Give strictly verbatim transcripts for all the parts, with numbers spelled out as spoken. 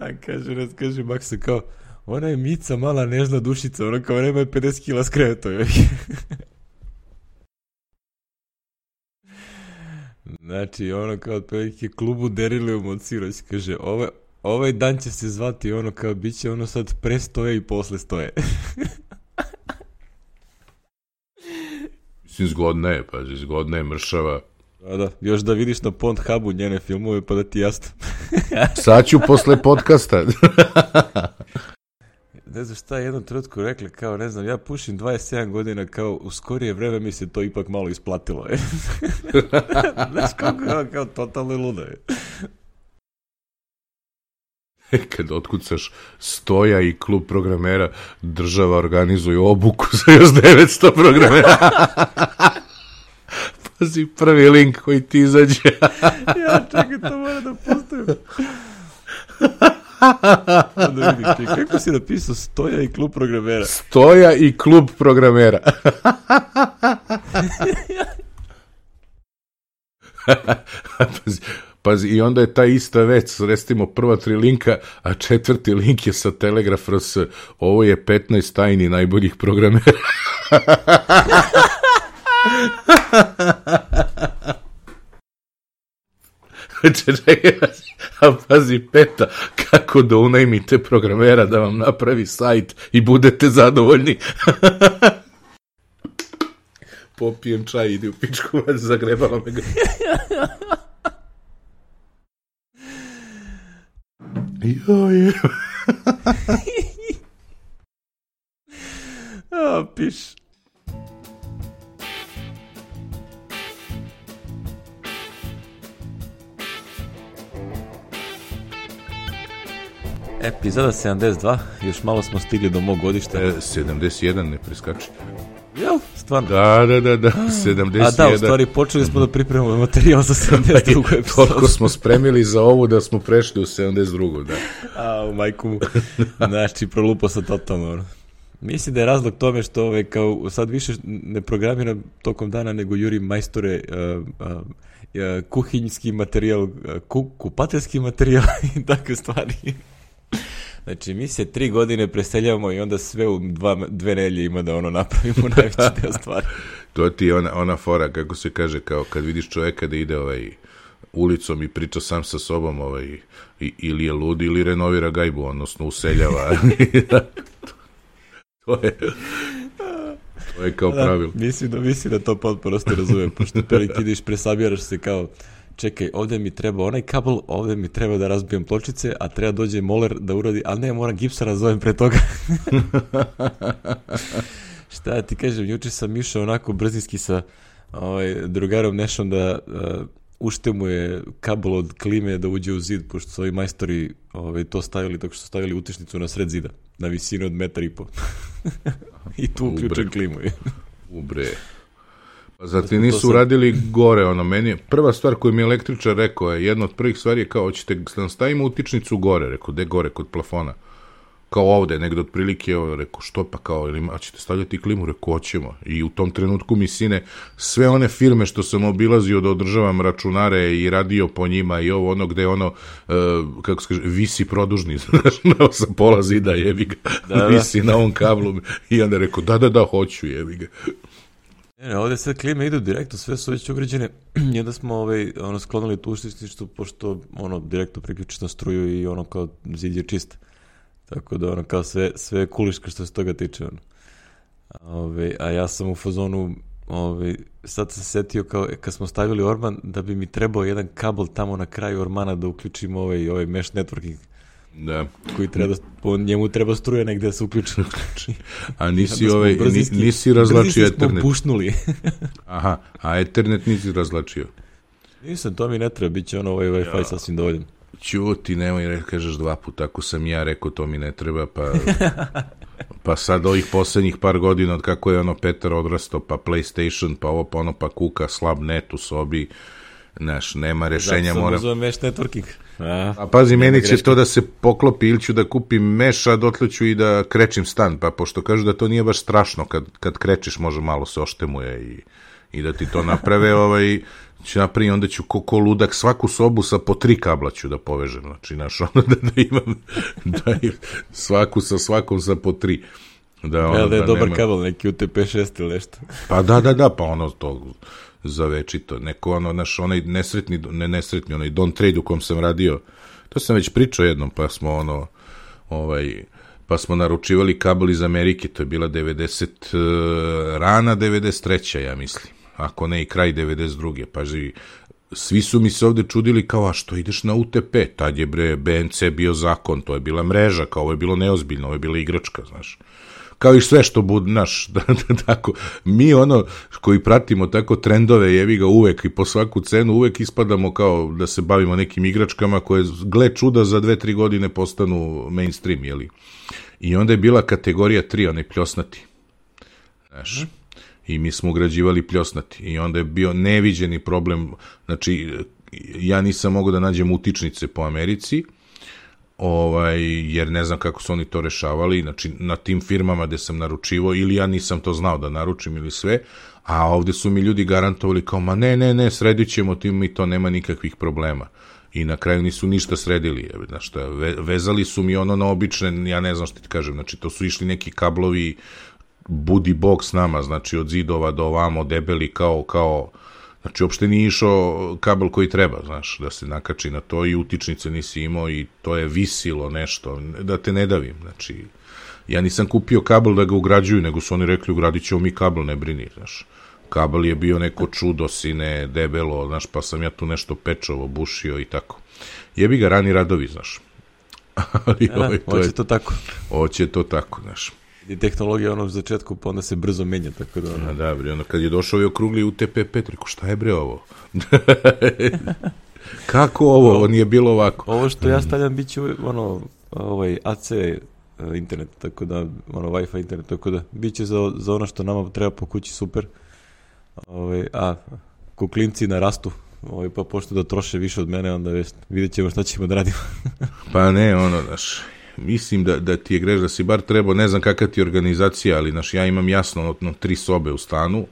A kaže, raz kaže Maksa kao, ona je Mica, mala nežna dušica, ona kao nema je pedeset kila skreto. Znači, ono kao otprilike klubu Derilium od Siroć, kaže, ovaj, ovaj dan će se zvati ono kao, bit će ono sad pre stoje i posle stoje. Mislim, zgodna je, pazi, zgodna je, mršava. Da, da, još da vidiš na Pornhubu njene filmove, pa da ti jasno. Sad ću posle podcasta. Ne znam šta je jednom trenutku rekla, kao, ne znam, ja pušim dvadeset sedam godina, kao, u skorije vreme mi se to ipak malo isplatilo, je. Znaš, kako je, kao, totalno luda je. Kad otkucaš Stoja i klub programera, država organizuje obuku za još devetsto programera. Pazi, prvi link koji ti izađe. Ja, čekaj, to mora da postavim. Da vidim, čekaj, kako si napisao Stoja i klub programera? Stoja i klub programera. Pazi, pazi, i onda je ta ista vec, recimo prva tri linka, a četvrti link je sa Telegraf R S. Ovo je petnaest tajni najboljih programera. Čekaj, a pazi peta, kako da unajmite programera da vam napravi sajt i budete zadovoljni. Popijem čaj, ide u pičku, zagrebalo me ga. Joj. A, piš. Epizoda sedamdeset dva, još malo smo stigli do mog godišta. E, sedamdeset jedan, ne preskači. Jel, stvarno? Da, da, da, da, sedamdeset jedan. A da, u stvari počeli smo da pripremamo materijal za sedamdeset drugu epizodu. Toliko smo spremili za ovu da smo prešli u sedamdeset drugu, da. A, u majku mu. Znači, prolupo sam totalno. Mislim da je razlog tome što ove, kao, sad više ne programiram tokom dana, nego jurim majstore uh, uh, uh, kuhinjski materijal, uh, ku, kupateljski materijal i takve stvari. Znači, mi se tri godine preseljavamo i onda sve u dva, dve nelje ima da ono napravimo najveći deo stvari. To ti je ona, ona fora, kako se kaže, kao kad vidiš čoveka da ide ovaj, ulicom i priča sam sa sobom, ovaj, i, ili je lud ili renovira gajbu, odnosno useljava. To je... To je kao da, pravilo. Mislim da, mislim da to potpuno ste razumem, pošto pelik ideš, presabiraš se kao, čekaj, ovdje mi treba onaj kabel, ovdje mi treba da razbijem pločice, a treba dođe moler da uradi, ali ne, moram gipsa razovem pre toga. Šta ti kažem, juče sam išao onako brzinski sa ovaj, drugarom Nešom da uh, ušte mu je kabel od klime da uđe u zid, pošto su ovi majstori ovaj, to stavili, tako što su stavili utičnicu na sred zida, na visinu od metar i po. I tu uključujem klimu. Ubre. Pa zati nisu uradili gore, ono, meni prva stvar koju mi je električar rekao je, jedna od prvih stvari je kao, hoćete da stavimo utičnicu gore, rekao, gde gore, kod plafona, kao ovde, negde otprilike, rekao, što pa kao, ili a ćete stavljati klimu, rekao, hoćemo, i u tom trenutku mi sine, sve one firme što sam obilazio da održavam računare i radio po njima i ovo ono gde ono, uh, kako se kaže, visi produžni, znaš, sa pola zida, jebi ga, da, visi da. Na ovom kablu, i onda rekao, da, da, da, hoću, jebi ga. Ne, ovdje sve klime idu direktno, sve su već ugrađene i onda smo ovaj, ono, sklonili tu uštičnicu, pošto ono, direktno priključiš na struju i ono kao zid je čist. Tako da ono kao sve, sve je kuliška što se toga tiče. Ono. Ove, a ja sam u fazonu, ove, sad sam se setio kao kad smo stavili orman da bi mi trebao jedan kabel tamo na kraju ormana da uključimo ovaj, ovaj mesh networking. Da. Koji treba, po njemu treba struje negde da se uključi. A nisi, ovaj, brzinski, nisi razlačio Ethernet. Brzinski smo pušnuli. Aha, a Ethernet nisi razlačio. Nisam, to mi ne treba, bit će ono ovaj Wi-Fi ja. Sasvim dovoljan. Ćuti, nemoj kažeš dva puta, ako sam ja rekao to mi ne treba, pa, pa sad ovih posljednjih par godina od kako je ono Petar odrastao, pa PlayStation, pa ovo, pa ono, pa kuka, slab net u sobi, znaš, nema rešenja. Zato mora... sam uzeo mesh networking. A, a pazi, meni će greška. To da se poklopi, ili ću da kupim mesh, a dotle ću i da krećim stan, pa pošto kažu da to nije baš strašno, kad, kad krečiš može malo se oštemuje i, i da ti to naprave, ovaj, ću napraviti, onda ću ko, ko ludak svaku sobu sa po tri kabla ću da povežem, znači, znaš, ono da, da imam, da imam svaku sa svakom sa po tri. Da, ono, ja, da je da dobar nema... kabel, neki U T P šest ili nešto. Pa da, da, da, pa ono to za večito, neko ono, naš, onaj nesretni, ne nesretni, onaj Don Trade u kom sam radio, to sam već pričao jednom, pa smo ono, ovaj, pa smo naručivali kabel iz Amerike, to je bila devedeset, rana devedeset treća, ja mislim, ako ne i kraj devedeset druge, pa živi, svi su mi se ovde čudili kao, a što ideš na U T P, tad je bre B N C bio zakon, to je bila mreža, kao ovo je bilo neozbiljno, ovo je bila igračka, znaš. Kao i sve što bude, naš, da, da, tako, mi ono koji pratimo tako trendove, jevi ga uvek i po svaku cenu, uvek ispadamo kao da se bavimo nekim igračkama koje, gle čuda, za dve, tri godine postanu mainstream, jeli. I onda je bila kategorija tri, onaj pljosnati, znaš, i mi smo ugrađivali pljosnati i onda je bio neviđeni problem, znači, ja nisam mogao da nađem utičnice po Americi, ovaj, jer ne znam kako su oni to rešavali, znači na tim firmama gde sam naručivo, ili ja nisam to znao da naručim ili sve, a ovde su mi ljudi garantovali kao, ma ne, ne, ne, sredit ćemo tim i to, nema nikakvih problema. I na kraju nisu ništa sredili, znaš šta, ve, vezali su mi ono na obične, ja ne znam što ti kažem, znači to su išli neki kablovi, budi bog s nama, znači od zidova do ovamo, debeli kao, kao, znači, uopšte nije išao kabel koji treba, znaš, da se nakači na to i utičnice nisi imao i to je visilo nešto, da te ne davim, znači, ja nisam kupio kabel da ga ugrađuju, nego su oni rekli, ugradit ćemo mi kabel, ne brini, znaš, kabel je bio neko čudo, sine, debelo, znaš, pa sam ja tu nešto pečovo, bušio i tako. Jebi ga rani radovi, znaš. Ali, ja, ovaj, to hoće je, to tako. Hoće to tako, znaš. I tehnologija ono u začetku, pa onda se brzo menja, tako da... Ono... A da, bre, ono kad je došao i okrugli U T P pet, reko, šta je bre ovo? Kako ovo? Ovo nije bilo ovako. Ovo što ja stavljam bit će ono, ovaj A C internet, tako da, ono, Wi-Fi internet, tako da, bit će za, za ono što nama treba po kući super. Ovaj, a, kuklinci narastu, ovaj, pa pošto da troše više od mene, onda jest, vidjet ćemo šta ćemo da radimo. Pa ne, ono, znaš... Mislim da, da ti je greš, da si bar trebao, ne znam kakva ti je organizacija, ali naš, ja imam jasno no, tri sobe u stanu,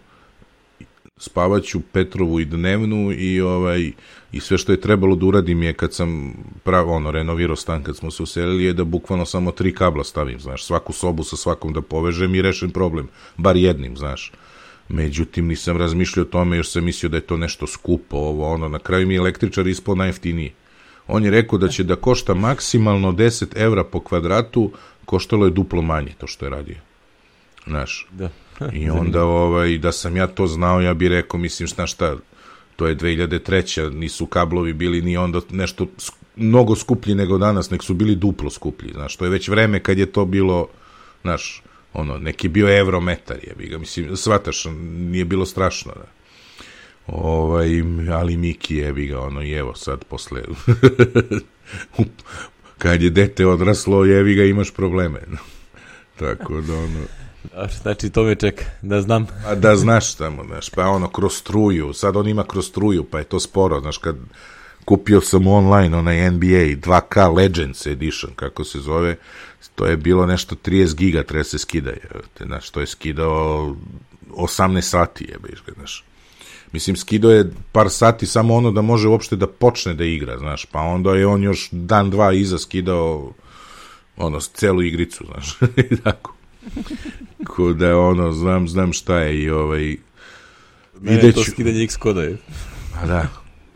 spavaću Petrovu i dnevnu i ovaj i sve što je trebalo da uradim je kad sam pravo ono renovirao stan kad smo se uselili je da bukvalno samo tri kabla stavim, znaš, svaku sobu sa svakom da povežem i rešim problem, bar jednim, znaš. Međutim, nisam razmišljao o tome, još sam mislio da je to nešto skupo, ovo, ono, na kraju mi je električar ispao najjeftiniji. On je rekao da će da košta maksimalno deset evra po kvadratu, koštalo je duplo manje to što je radio. Znaš. Da. I onda ovaj, da sam ja to znao, ja bih rekao, mislim, šta šta, to je dve hiljade treća, nisu kablovi bili ni onda nešto mnogo skuplji nego danas, nek su bili duplo skuplji, znaš, to je već vreme kad je to bilo, znaš, ono, neki bio evrometar, jebi ga, mislim, shvataš, nije bilo strašno, da. Ovaj, ali Miki jebi ga, ono, i evo sad posle kad je dete odraslo, jebi ga, imaš probleme. Tako da, ono... Znači, to me čeka, da znam. A da znaš tamo, znaš, pa ono, kroz struju, sad on ima kroz struju, pa je to sporo, znaš, kad kupio sam online onaj N B A dva K Legends Edition, kako se zove, to je bilo nešto trideset giga, treba se skida, znaš, to je skidao osamnaest sati, jebiš ga, znaš. Mislim, skidao je par sati samo ono da može uopšte da počne da igra, znaš, pa onda je on još dan, dva iza skidao ono, celu igricu, znaš, i tako. Ko da ono, znam, znam šta je i ovaj... Ne, videću... to skidanje X-koda je. A da,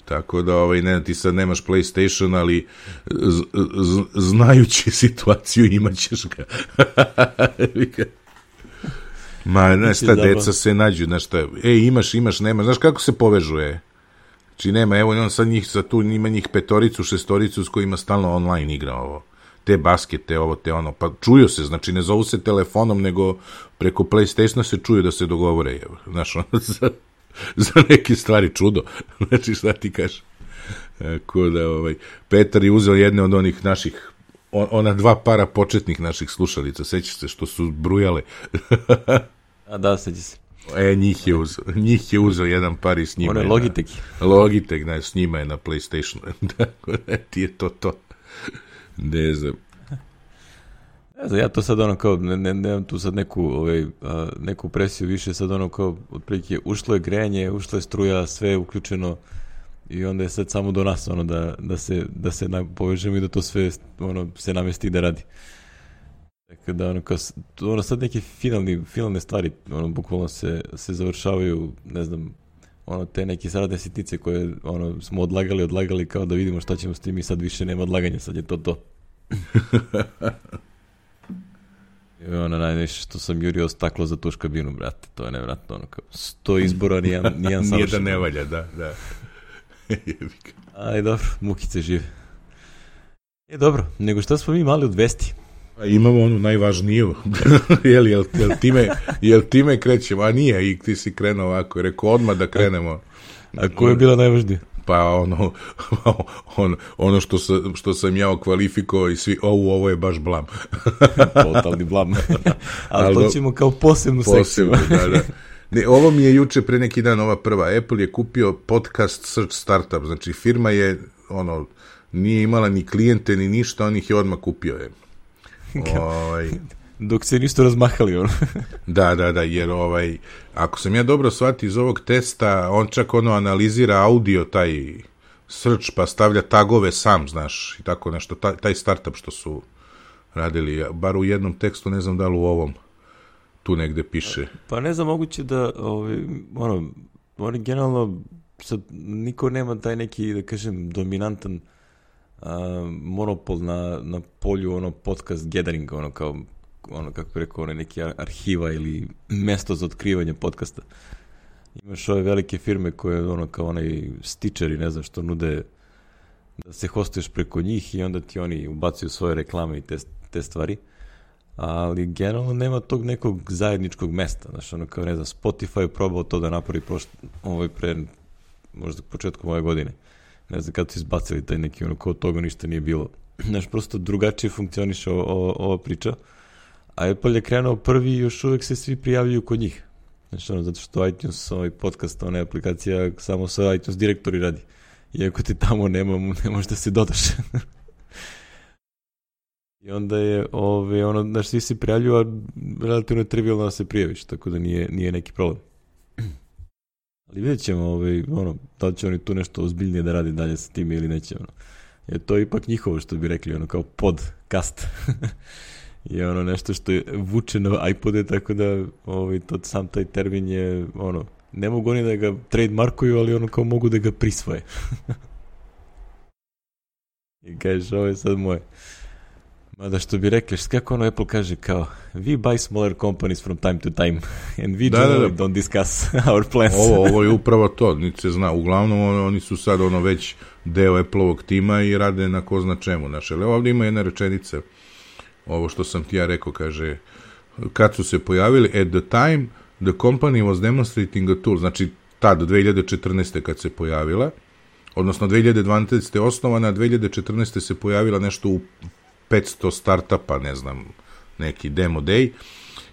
tako da, ovaj, ne, ti sad nemaš PlayStation, ali z, z, znajući situaciju imaćeš ga. Ma, znaš šta, deca se nađu, znaš šta, ej, imaš, imaš, nema, znaš kako se povežuje? Znači, nema, evo, on sad njih, sad tu ima njih petoricu, šestoricu s kojima stalno online igra ovo. Te baskete, ovo, te ono, pa čuju se, znači, ne zovu se telefonom, nego preko PlayStationa se čuju da se dogovore, evo, znaš, ono, za, za neke stvari čudo, znači, šta ti kažeš? Tako da, ovaj, Petar je uzeo jedne od onih naših, ona dva para početnih naših slušalica, sećaš se što su brujale. A da, seća se. E, njih je uzeo, njih je uzeo jedan par i s njima. One je Logitech. Na, Logitech, da, s njima je na PlayStationu. Tako da, ti je to to. Ne znam. Ne znam, ja to sad ono kao, ne, ne, nemam tu sad neku, ovaj, a, neku presiju više, sad ono kao, otprilike, ušlo je grejanje, ušla je struja, sve je uključeno i onda je sad samo do nas, ono, da, da se, da se na, povežemo i da to sve, ono, se namesti da radi. Tako da, ono, kao, ono, sad neke finalni, finalne stvari, ono, bukvalno se, se završavaju, ne znam, ono, te neke saradne sitnice koje, ono, smo odlagali, odlagali kao da vidimo šta ćemo s tim i sad više nema odlaganja, sad je to to. I ono, najviše što sam jurio staklo za tuš kabinu, brate, to je nevratno, ono, kao, sto izbora, nijedan, nijedan savršen. Nijedan ne valja, da, da. Aj, dobro, mukice žive. E, dobro, nego šta smo mi mali od vesti? A imamo onu najvažniju. jel, jel, jel, time, jel time krećemo? A nije, i ti si krenuo ovako, rekao odmah da krenemo. A koja je bila najvažnija? Pa ono, on, ono što, sa, što sam ja okvalifikovao i svi, ovo, ovo je baš blam. Totalni blam. Ali to ćemo kao posebnu sekciju. da, da. Ne, ovo mi je juče pre neki dan ova prva. Apple je kupio podcast Search Startup. Znači firma je, ono, nije imala ni klijente ni ništa, on ih je odmah kupio je. Ovaj... Dok se nisto razmahali, ono. da, da, da, jer ovaj, ako sam ja dobro shvatio iz ovog testa, on čak ono analizira audio, taj search, pa stavlja tagove sam, znaš, i tako nešto, taj, taj startup što su radili, bar u jednom tekstu, ne znam da li u ovom, tu negde piše. Pa ne znam, moguće da, ovaj, ono, oni generalno, sad, niko nema taj neki, da kažem, dominantan a, monopol na, na polju, ono, podcast gatheringa, ono, kao, ono, kako bi rekao, ono, neki arhiva ili mesto za otkrivanje podcasta. Imaš ove velike firme koje, ono, kao onaj Stitcher i ne znam što nude da se hostuješ preko njih i onda ti oni ubacuju svoje reklame i te, te stvari. Ali generalno nema tog nekog zajedničkog mesta. Znaš, ono, kao, ne znam, Spotify je probao to da napravi prošlo, ovaj pre, možda početkom ove godine. Ne znam kada su izbacili taj neki, ono, kao toga ništa nije bilo. Znaš, prosto drugačije funkcioniše o, o, ova priča. A Apple je krenuo prvi i još uvek se svi prijavljuju kod njih. Znači, ono, zato što iTunes, ovaj podcast, ona aplikacija samo sa iTunes direktori radi. Iako ti tamo nema, ne možeš da se dodaš. I onda je, ove, ono, znaš, svi se prijavljuju, a relativno je trivialno da se prijaviš, tako da nije, nije neki problem. Ali vidjet ćemo, ove, ono, da li će oni tu nešto ozbiljnije da radi dalje sa tim ili neće, ono. Jer to je ipak njihovo, što bi rekli, ono, kao podcast. je ono nešto što je vuče na iPode, tako da ovaj, to, sam taj termin je, ono, ne mogu oni da ga trademarkuju, ali ono kao mogu da ga prisvoje. I kažeš, ovo je sad moje. Mada što bi rekli, kako ono Apple kaže kao, we buy smaller companies from time to time and we da, da, da. don't discuss our plans. Ovo, ovo je upravo to, niti se zna. Uglavnom on, oni su sad ono već deo Apple-ovog tima i rade na ko zna čemu. Znači, ali ovdje ima jedna rečenica, ovo što sam ti ja rekao, kaže, kad su se pojavili, at the time the company was demonstrating a tool, znači tad, dve hiljade četrnaeste kad se pojavila, odnosno dve hiljade dvanaeste osnovana, dve hiljade četrnaeste se pojavila nešto u petsto startupa, ne znam, neki demo day,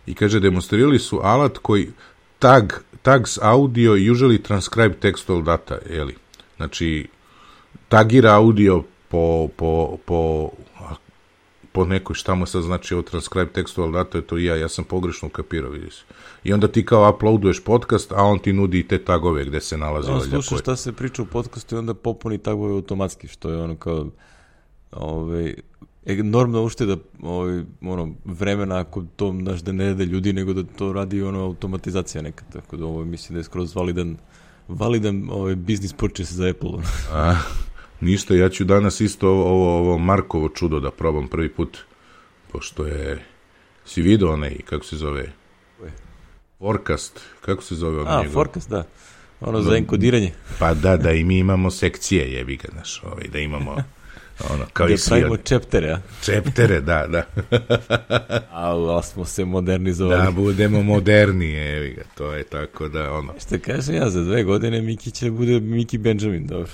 i kaže, demonstrirali su alat koji tag, tags audio usually transcribe textual data, jeli? Znači, tagira audio po, po, po, po nekoj, šta mu sad znači ovo transcribe textual data, je to i ja, ja sam pogrešno ukapirao, vidiš. I onda ti kao uploaduješ podcast, a on ti nudi i te tagove gde se nalazi. On sluša šta se priča u podcastu i onda popuni tagove automatski, što je ono kao ovaj, enormna ušteda ovaj, ono, vremena ako to znaš da ne rade ljudi, nego da to radi ono automatizacija neka, tako da ovo mislim da je skroz validan, validan ovaj, business purchase za Apple. A, ništa, ja ću danas isto ovo, ovo, ovo Markovo čudo da probam prvi put, pošto je, si vidio onaj, kako se zove? Forecast, kako se zove? A, njegov? Forecast, da. Ono za enkodiranje. Pa da, da i mi imamo sekcije, jebi ga, znaš, ovaj, da imamo ono, kao gde i svi. pravimo čeptere, a? Čeptere, da, da. A, smo se modernizovali. Da, budemo modernije, jebi ga, to je tako da, ono. Što kažem ja, za dve godine Miki će bude Miki Benjamin, dobro.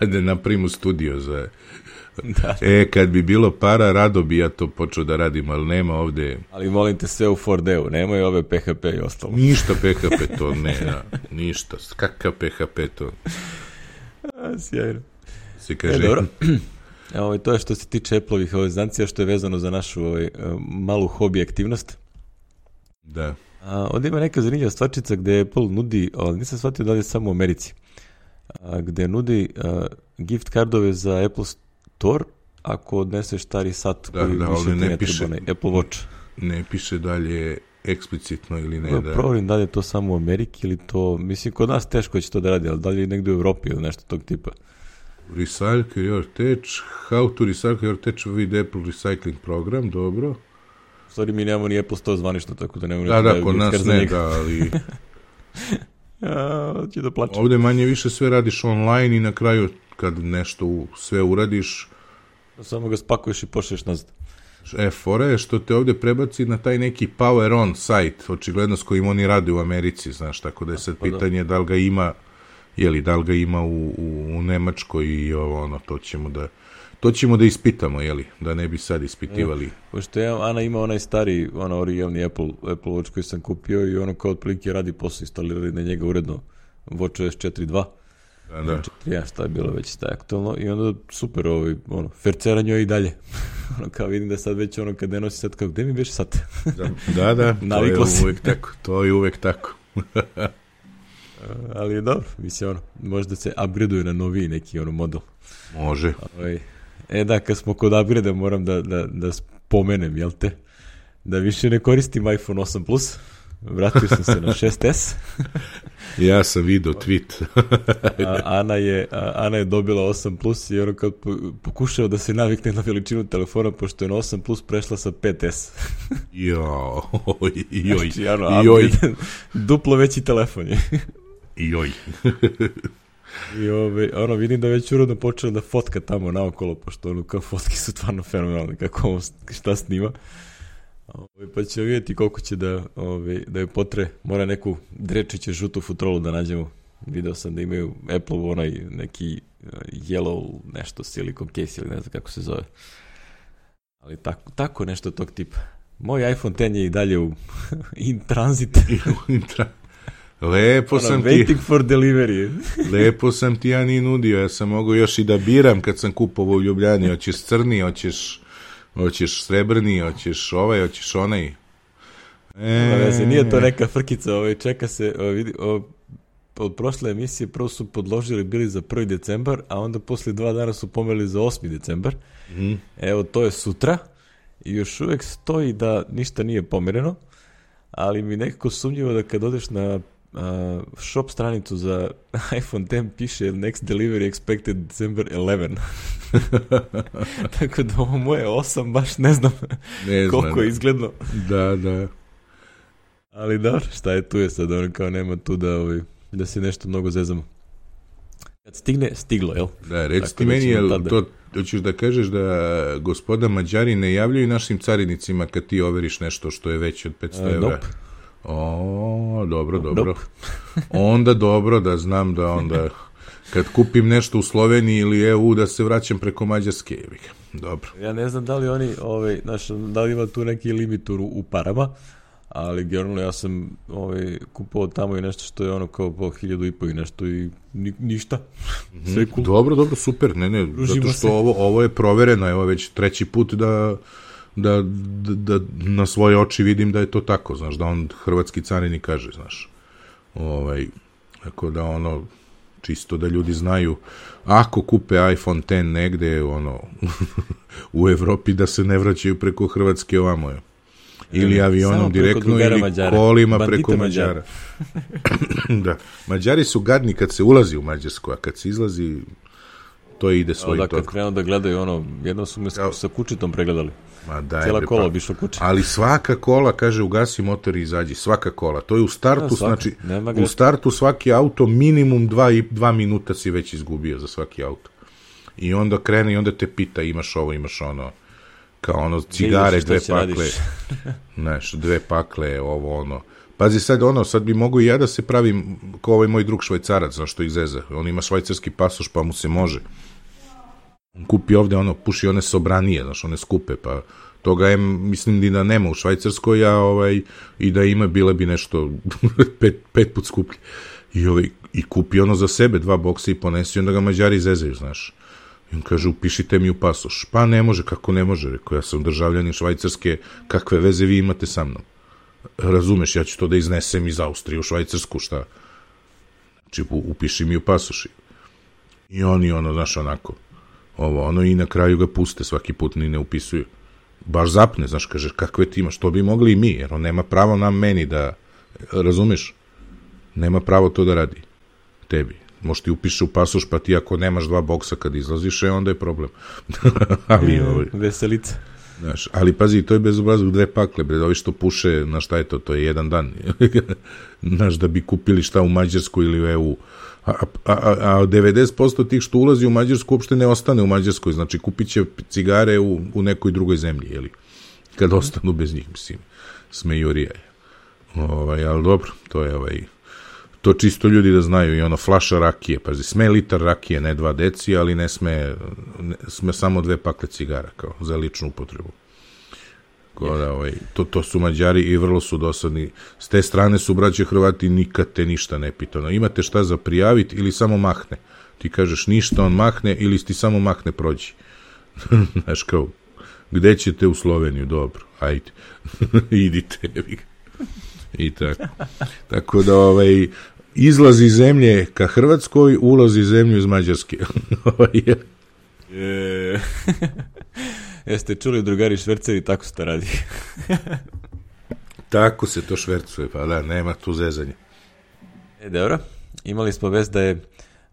Da naprimu studio za... Da. E, kad bi bilo para, rado bi ja to počeo da radim, ali nema ovde... Ali molim te sve u four D-u, nemoj ove P H P i ostalo. Ništa P H P to, ne, ja, ništa, kakav P H P to. A, sjajno. Se kaže... E, dobro. Evo, to je što se tiče Apple-ovih znancija, što je vezano za našu ovaj, malu hobi aktivnost. Da. A, ovdje ima neka zanimljiva stvarčica gde Apple nudi, ali nisam shvatio da li je samo u Americi, a, gde nudi a, gift kardove za Apple Store ako odneseš stari sat da, koji da, više ne ne piše, treba, Apple Watch. Ne piše dalje eksplicitno ili ne. No, da. Provjerim da li je to samo u Ameriki ili to, mislim, kod nas teško će to da radi, ali da li je negdje u Evropi ili nešto tog tipa. Recycle your tech, how to recycle your tech with Apple Recycling program, dobro. U stvari mi nemamo ni Apple Store zvanično, tako da nemamo... Da, da, kod nas ne, da, ali... ja, ću da plaćam. Ovdje manje više sve radiš online i na kraju kad nešto sve uradiš... Samo ga spakuješ i pošliješ nazad. E, fora je što te ovdje prebaci na taj neki Power On sajt, očigledno s kojim oni rade u Americi, znaš, tako da je sad pitanje da li ga ima, jeli, da li ga ima u, u, u Nemačkoj i ovo, ono, to ćemo da, to ćemo da ispitamo, jeli, da ne bi sad ispitivali. Ja, pošto ja, Ana ima onaj stari, ono, originalni Apple, Apple Watch koji sam kupio i ono kao otprilike radi posao, instalirali na njega uredno Watch O S četiri dva. Da, da. Ja, šta je bilo već šta je aktualno i onda super, ovaj, ono, fercera njoj i dalje. Ono, kao vidim da sad već ono kad ne nosi sad, kao gde mi beše sad? Da, da, to je uvek tako, to je uvek tako. Ali je dobro, mislim, ono, možda se upgradeuje na noviji neki ono model. Može. Ovaj, e da, kad smo kod upgrade da moram da, da, da spomenem, jel te, da više ne koristim iPhone osam plus, vratio sam se na šest es. Ja sam vidio tweet. a, Ana, je, a, Ana je dobila osam plus i ono kad pokušao da se navikne na veličinu telefona, pošto je na osam plus prešla sa pet es. Jo, joj, znači, ano, joj. Duplo veći telefon je. Joj. I ove, ono, vidim da već urodno počela da fotka tamo naokolo, pošto ono, kao fotke su stvarno fenomenalne, kako ovo, šta snima. Ove, pa ćemo vidjeti koliko će da, ove, da je potre. Mora neku drečiće žutu futrolu da nađemo. Video sam da imaju Apple onaj neki yellow nešto silicon case ili ne znam kako se zove. Ali tako, tako nešto tog tipa. Moj iPhone X je i dalje u in transit. Lepo ono, sam waiting ti... for delivery. Lepo sam ti ja ni nudio. Ja sam mogao još i da biram kad sam kupovao u Ljubljani. Hoćeš crni, hoćeš... Hoćeš srebrni, hoćeš ovaj, hoćeš onaj. E... Veze, nije to neka frkica, ovaj, čeka se, ovaj, vidi, ovaj, od prošle emisije prvo su podložili bili za prvi decembar, a onda poslije dva dana su pomerili za osmi decembar. Mm. Evo, to je sutra i još uvijek stoji da ništa nije pomereno, ali mi nekako sumnjivo da kad odeš na uh, shop stranicu za iPhone X piše next delivery expected December eleven. Tako da ovo moje osam baš ne znam ne koliko znam. je izgledno. Da, da. Ali dobro, šta je tu je sad, ono kao nema tu da, ovaj, da se nešto mnogo zezamo. Kad stigne, stiglo, jel? Da, reci ti meni, jel tada... to hoćeš da kažeš da gospoda Mađari ne javljaju našim carinicima kad ti overiš nešto što je veće od petsto evra? Nope. O, dobro, dobro. Nope. Onda dobro da znam da onda kad kupim nešto u Sloveniji ili E U da se vraćam preko Mađarske. Dobro. Ja ne znam da li oni, ovaj, znaš, da li ima tu neki limit u, u parama, ali generalno ja sam ovaj, kupovao tamo i nešto što je ono kao po hiljadu i po i nešto i ni, ništa. Sve cool. Dobro, dobro, super. Ne, ne, Družimo zato što ovo, ovo je provereno, evo već treći put da, da, da, da na svoje oči vidim da je to tako, znaš, da on hrvatski carinik kaže, znaš. Ovaj, tako da ono, čisto da ljudi znaju, ako kupe iPhone X negde, ono, u Evropi da se ne vraćaju preko Hrvatske ovamo je. Ili avionom samo direktno, ili Mađara. Kolima Bandita preko Mađara. Da. Mađari su gadni kad se ulazi u Mađarsku, a kad se izlazi, to ide svoj tok. Da, kad krenu da gledaju ono, jedno su me ja. sa kučitom pregledali. Ma daj, cijela bre, kola pa, bi išlo kuće. Ali svaka kola, kaže, ugasi motor i izađi. Svaka kola. To je u startu, ja, znači, u startu svaki auto minimum dva, i, dva minuta si već izgubio za svaki auto. I onda krene i onda te pita, imaš ovo, imaš ono, kao ono, cigare, dve pakle, znaš, dve pakle, ovo, ono. Pazi sad, ono, sad bi mogu i ja da se pravim kao ovaj moj drug Švajcarac, znaš, što ih zeza. On ima švajcarski pasoš, pa mu se može. On kupi ovde, ono, puši one sobranije, znaš, one skupe, pa toga je, mislim, da nema u Švajcarskoj, a ovaj, i da ima, bile bi nešto pet, pet put skuplje. I, ovaj, i kupi ono za sebe, dva boksa i ponesi, onda ga Mađari zezaju, znaš. I on kaže, upišite mi u pasoš. Pa ne može, kako ne može? Rekao, ja sam državljanin Švajcarske, kakve veze vi imate sa mnom? Razumeš, ja ću to da iznesem iz Austrije u Švajcarsku, šta? Znači, upiši mi u pasoš. I oni, ono, znaš, onako, ovo, ono, i na kraju ga puste, svaki put ni ne upisuju. Baš zapne, znaš, kaže, kakve ti imaš, to bi mogli i mi, jer on nema pravo nam meni da, razumeš, nema pravo to da radi, tebi. Možda ti upiše u pasoš, pa ti ako nemaš dva boksa kad izlaziš, e, onda je problem. ali, ovaj, Veselica. Znaš, ali pazi, to je bezobrazno dve pakle, bre, ovi što puše, na šta je to, to je jedan dan. Znaš, da bi kupili šta u Mađarsku ili u E U. A, a, a, a devedeset posto tih što ulazi u Mađarsku uopšte ne ostane u Mađarskoj, znači kupit će cigare u, u nekoj drugoj zemlji, jeli? Kad ostanu bez njih, mislim, smejurija je. Ovaj, ali dobro, to je ovaj, to čisto ljudi da znaju, i ono, flaša rakije, pazi, sme litar rakije, ne dva deci, ali ne sme, ne, sme samo dve pakle cigara, kao, za ličnu upotrebu. Da, ovaj, to, to su Mađari i vrlo su dosadni. S te strane su braće Hrvati, nikad te ništa ne pitano. Imate šta za prijaviti ili samo mahne? Ti kažeš ništa, on mahne, ili ti samo mahne, prođi. Znaš kao, gde ćete? U Sloveniju? Dobro, ajde. Idite. I tako. Tako da, ovaj, izlaz iz zemlje ka Hrvatskoj, ulaz iz zemlju iz Mađarske. e... Jeste čuli, drugari šverceri, tako se to radi. Tako se to švercuje, pa da, nema tu zezanja. E, dobro, imali smo vest da je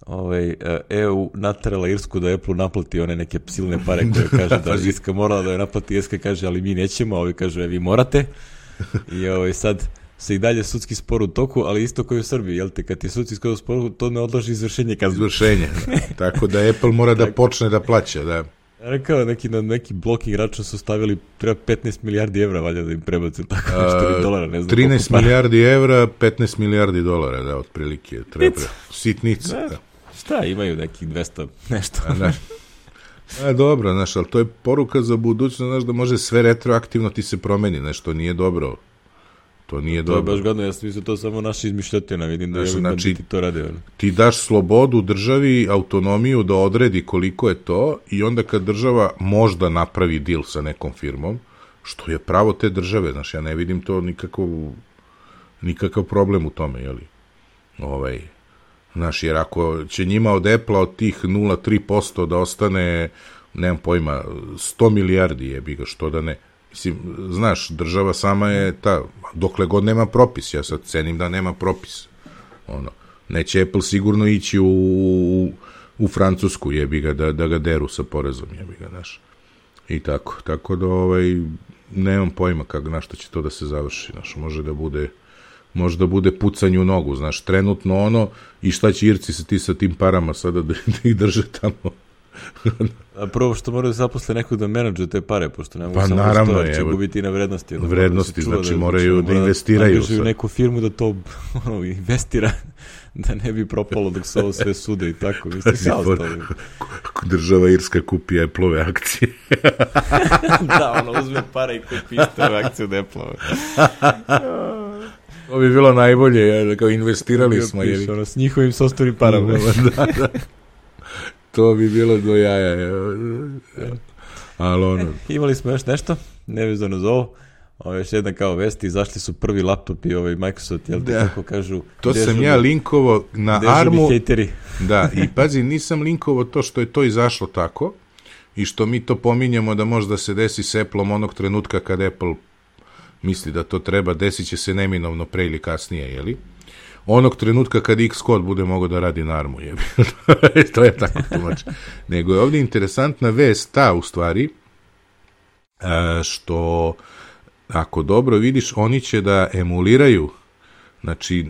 ovaj, E U naterala Irsku da Apple naplati one neke silne pare koje kaže da Irska morala da je naplati, Irska kaže, ali mi nećemo, a ovi kažu, e, vi morate. I ovaj, sad se i dalje sudski spor u toku, ali isto koji u Srbiji, jel te, kad je sudski spor, to ne odloži izvršenje kazne. Izvršenje, da. Tako da Apple mora da počne da plaća, da. Rekao, neki, na neki blocking račun su stavili, treba petnaest milijardi evra, valjda da im prebacu tako nešto, dolara, ne znam. trinaest milijardi evra, petnaest milijardi dolara, da, otprilike, treba. Sitnica, da. da. Šta, imaju nekih dvesta nešto. A, da. A, dobro, znaš, ali to je poruka za budućnost, znaš, da može sve retroaktivno ti se promeni, nešto nije dobro. To nije to dobro. To je baš gadno, ja sam mislio, to samo naši izmišljotina, vidim da, znači, znači, ti to rade. Ono. Ti daš slobodu državi, autonomiju da odredi koliko je to, i onda kad država možda napravi deal sa nekom firmom, što je pravo te države, znaš, ja ne vidim to nikakav, nikakav problem u tome, jeli? Ovaj, znaš, jer ako će njima od Apple-a od tih nula zarez tri posto da ostane, nemam pojma, sto milijardi jebi ga, što da ne. Mislim, znaš, država sama je ta, dokle god nema propis, ja sad cenim da nema propis. Ono, neće Apple sigurno ići u, u, u Francusku, jebi ga, da, da ga deru sa porezom, jebi ga, znaš. I tako, tako da, ovaj, nemam pojma kako, na što će to da se završi, znaš, može da bude, može da bude pucanje u nogu, znaš, trenutno ono, i šta će Irci sa ti sa tim parama sada da, da ih drže tamo. A prvo što moraju zaposle nekog da menadžuje te pare, pošto ne mogu pa, samo naravno, što će gubiti na vrednosti. Vrednosti, da znači da, moraju da, da investiraju. Angažuju neku firmu da to ono, investira, da ne bi propalo dok se ovo sve sude i tako. Mislim, šta ostalo? Država Irska kupi Apple-ove akcije. Da, ono uzme pare i kupi iste akcije od Apple-ove. To bi bilo najbolje, kao investirali smo. Piš, ono, s njihovim sostovnim parama. Da, da. To bi bilo do jaja. Ali ono... E, imali smo još nešto, nevezano za ovo. Ovo još jedna kao vesti, izašli su prvi laptopi ovaj Microsoft, jel te da. Kako kažu? To sam žubi, ja linkovo na Armu. Hejteri. Da, i pazi, nisam linkovo to što je to izašlo tako i što mi to pominjamo da možda se desi s Apple-om onog trenutka kad Apple misli da to treba, desit će se neminovno pre ili kasnije, jeli? Onog trenutka kad Xcode bude mogao da radi na Armu, jebi. To je tako tumač. Nego je ovdje interesantna vest ta, u stvari, što ako dobro vidiš, oni će da emuliraju, znači...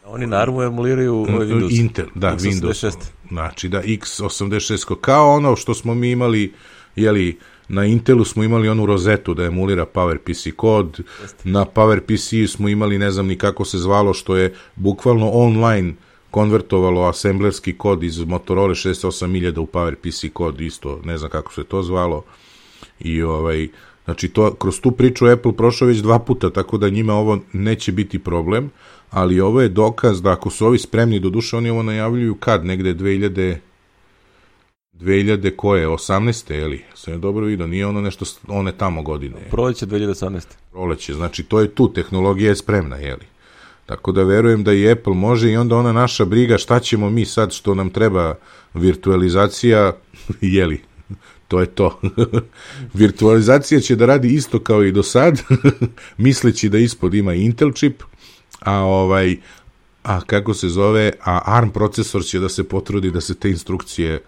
Oni na Armu emuliraju ovaj Windows. Intel, da, X osamdeset Windows. šest. Znači da, X osamdeset šest, kao ono što smo mi imali, jeli, na Intelu smo imali onu rozetu da emulira PowerPC kod, Jeste. Na PowerPC smo imali, ne znam ni kako se zvalo, što je bukvalno online konvertovalo assemblerski kod iz Motorola šezdeset osam hiljada u PowerPC kod, isto, ne znam kako se to zvalo. I ovaj, znači to, kroz tu priču Apple prošao već dva puta, tako da njima ovo neće biti problem, ali ovo je dokaz da ako su ovi spremni, do duše oni ovo najavljuju kad, negde dve hiljade dve hiljade koje, osamnaeste, je li? Sam je dobro vidio, nije ono nešto, one tamo godine. Proleće dve hiljade osamnaeste. Proleće, znači to je tu, tehnologija je spremna, je li? Tako da verujem da i Apple može i onda ona naša briga šta ćemo mi sad što nam treba virtualizacija, je li? To je to. Virtualizacija će da radi isto kao i do sad, misleći da ispod ima Intel čip, a ovaj, a kako se zove, a ARM procesor će da se potrudi da se te instrukcije,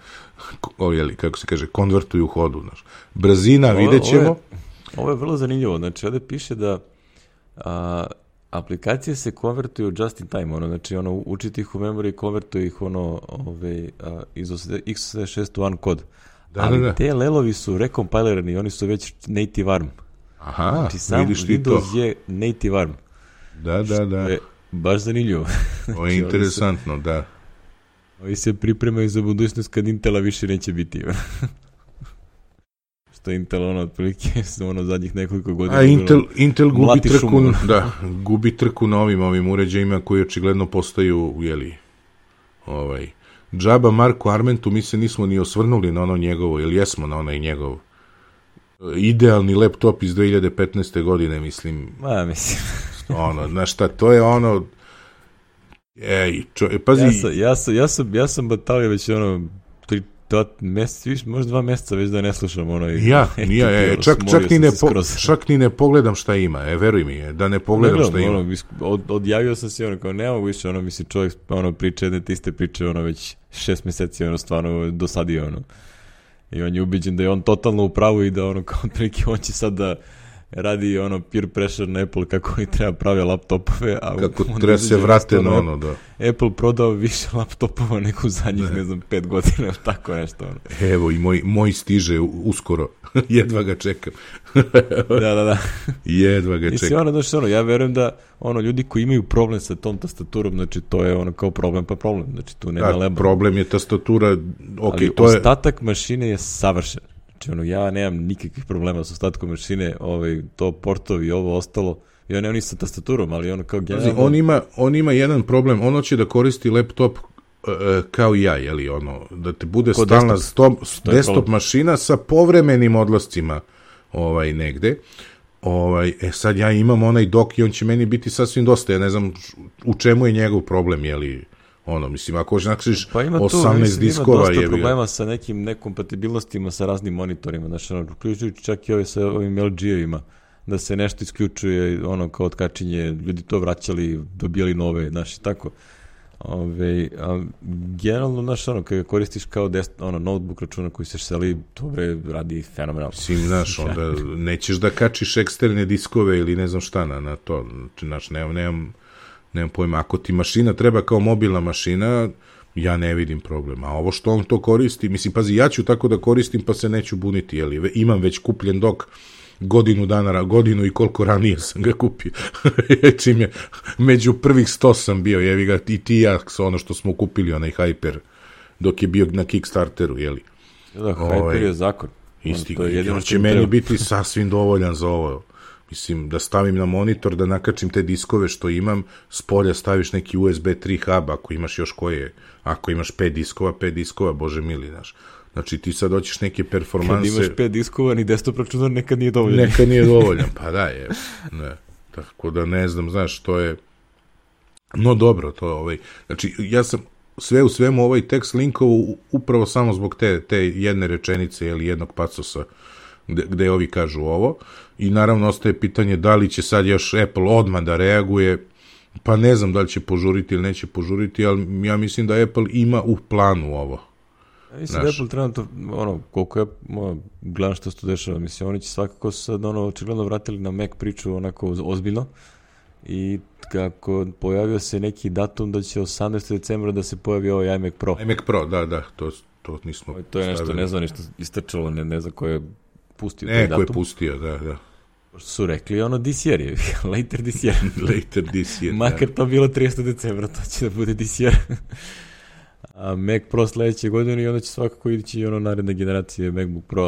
o, jeli, kako se kaže, konvertuju u hodu. Znaš. Brzina, ovo, vidjet ćemo. Ovo je, ovo je vrlo zanimljivo. Znači, ovdje piše da a, aplikacije se konvertuju just in time. Ono, znači, ono, učiti ih u memory, konvertuju ih ono, ove, a, iz x osam šest u one kod. Da, ali da, da. Te lelovi su rekompilirani, oni su već native ARM. Aha, znači, sam Windows je native ARM. Da, da, da. Je baš zanimljivo. Ovo je interesantno, da. Ovi se pripremaju za budućnost kad Intela više neće biti. Što Intel, ono, otprilike, ono, zadnjih nekoliko godina... A Intel, Intel gubi trku, da, gubi trku na ovim, ovim uređajima koji očigledno postaju, jeli, ovaj... Džaba Marku Armentu, mi se nismo ni osvrnuli na ono njegovo, ili jesmo na onaj njegov idealni laptop iz dve hiljade petnaeste godine, mislim. Ma, mislim. Ono, znaš šta, to je ono... Ej, čo, pazi... Ja sam, ja sam, ja sam, ja sam batalio već ono, tri, dva mjeseca, viš, možda dva mjeseca već da ne slušam ono... Ja, ja, ja, čak, čak, ni ne po, čak ni ne pogledam šta ima, e, veruj mi, je, da ne pogledam ne gledam, šta ima. Ono, od, odjavio sam se, ono, kao, nema više, ono, misli, čovjek, ono, priče, jedne te iste priče, ono, već šest mjeseci, ono, stvarno dosadio, ono. I on je ubiđen da je on totalno u pravu i da, ono, kao, otprilike, on će sad da radi, ono, peer pressure na Apple kako oni treba pravi laptopove, a kako treba se vrate na ono, da. Apple prodao više laptopova nego u zadnjih, ne, ne znam, pet godina, tako nešto, ono. Evo, i moj, moj stiže uskoro, jedva ga čekam. Da, da, da. Jedva ga čekam. I ono, znači, ono, ja verujem da, ono, ljudi koji imaju problem sa tom tastaturom, znači, to je, ono, kao problem pa problem, znači, tu nema da, leba. Problem je tastatura, ok, ali to je... ostatak mašine je savršen. Znači, ono, ja nemam nikakvih problema sa ostatkom mašine, ovaj, to portovi i ovo ostalo, ja nemam ni sa tastaturom, ali ono kao generalno... On ima, on ima jedan problem, ono će da koristi laptop uh, kao i ja, jeli, ono, da te bude ko stalna desktop, stop, desktop mašina sa povremenim odlascima ovaj, negde. Ovaj, e sad ja imam onaj dok i on će meni biti sasvim dosta, ja ne znam u čemu je njegov problem, jeli... Ono, mislim, ako hoćeš nakšiš pa ima tu, osamnaest mislim, diskova... Ima dosta je problema sa nekim nekompatibilnostima sa raznim monitorima, znači, ono, uključujući čak i ove sa ovim L G-evima, da se nešto isključuje, ono, kao otkačenje, ljudi to vraćali, dobijali nove, znači, tako. Ove, a, generalno, znaš, ono, kada koristiš kao dest, ono, notebook računa koji se seli, dobre, radi fenomenalno. Sim, znaš, onda nećeš da kačiš eksterne diskove ili ne znam šta na, na to, znači, nemam, nemam, nemam pojma, ako ti mašina treba kao mobilna mašina, ja ne vidim problema, a ovo što on to koristi, mislim, pazi, ja ću tako da koristim, pa se neću buniti, jeli, imam već kupljen dok, godinu dana, godinu i koliko ranije sam ga kupio. Čim je, među prvih sto sam bio, jevi ga, i ti ja, ono što smo kupili, onaj Hyper, dok je bio na Kickstarteru, jeli. Da, Hyper ovaj, je zakon. Isti, on, je on će meni treba. Biti sasvim dovoljan za ovo. Mislim, da stavim na monitor, da nakačim te diskove što imam, s polja staviš neki U S B tri hub, ako imaš još koje, ako imaš pet diskova, pet diskova, bože mili, znaš. Znači, ti sad hoćeš neke performanse... Kad imaš pet diskova, ni desktop računar nekad nije dovoljan. Nekad nije dovoljan, pa da je. Ne. Tako da ne znam, znaš, to je... No dobro, to je ovaj... Znači, ja sam sve u svemu ovaj tekst linkovu upravo samo zbog te, te jedne rečenice ili jednog pacosa gde, gde ovi kažu ovo. I naravno ostaje pitanje da li će sad još Apple odmah da reaguje. Pa ne znam da li će požuriti ili neće požuriti, ali ja mislim da Apple ima u planu ovo. Ja mislim da Apple trenutno, ono, koliko ja ono, gledam što se to dešava, mislim, oni će svakako sad, ono, očigledno vratili na Mac priču onako ozbiljno i kako pojavio se neki datum da će osamnaestog decembra da se pojavi ovaj iMac Pro. iMac Pro, da, da, to, to nismo o, To je nešto, stavili. Ne znam, nešto istrčalo, ne, ne znam ko je pustio ne, taj datum. Ne, ko je pustio, da, da. Što su rekli, ono, this year je, later this year. Later this year, makar da. To bilo tridesetog decembra, to će da bude this year. A Mac Pro sledeće godine i onda će svakako ići ono naredne generacije MacBook Pro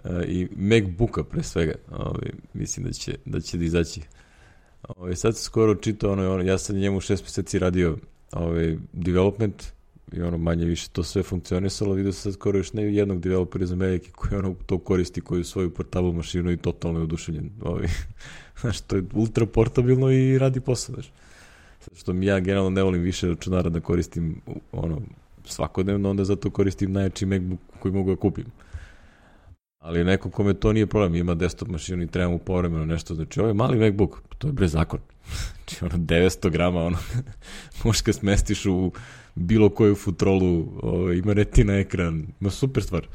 uh, i MacBooka pre svega. Ovaj, mislim da će da će da izaći. Ovaj, sad se skoro čitao, ono, ono, ja sam njemu šest mjeseci radio ovaj, development i ono manje više to sve funkcionisalo. Vidio se sad skoro još ne jednog developera iz Amerike koji ono to koristi, koji svoju portable mašinu i totalno je oduševljen. Ovi. Znaš, to je ultra portabilno i radi posao, znaš. Što mi ja generalno ne volim više računara da koristim ono svakodnevno, onda zato koristim najjači MacBook koji mogu da kupim. Ali neko kome to nije problem, ima desktop mašinu i treba mu povremeno nešto, znači ovaj mali MacBook, to je bre zakon. Znači ono devetsto grama, ono, možeš ga smestiš u bilo koju futrolu, ovaj, ima retina ekran, ima super stvar.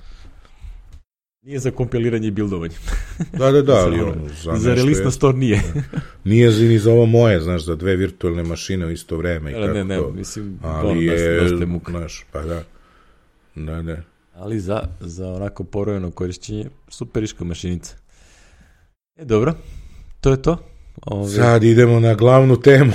Nije za kompiliranje i bildovanje. Da, da, da, ali za, ono, za, za release na store nije. Nije ni za ovo moje, znaš, za dve virtualne mašine u isto vreme. Ne, ne, ne, mislim, ali ono, je, dosta je muka. Znaš, pa da, da, da. Ali za, za onako porojeno korišćenje, superiška mašinica. E, dobro, to je to. Ove... Sad idemo na glavnu temu.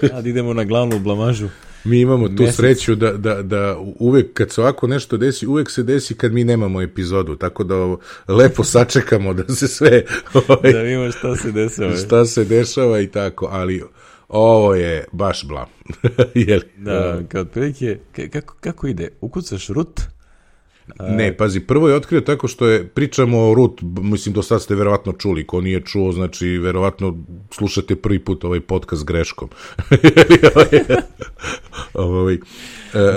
Sad idemo na glavnu blamažu. Mi imamo tu Mesec. sreću da, da, da uvek kad se ovako nešto desi, uvek se desi kad mi nemamo epizodu, tako da ovo, lepo sačekamo da se sve... Ovaj, da vidimo šta se dešava. Šta se dešava i tako, ali ovo je baš blam. Jeli? Da, kao otprilike, kako, kako ide? Ukucaš root? Ne, pazi, prvo je otkrio tako što je, pričamo o root, mislim, do sad ste verovatno čuli, ko nije čuo, znači, verovatno slušate prvi put ovaj podcast greškom. ovaj,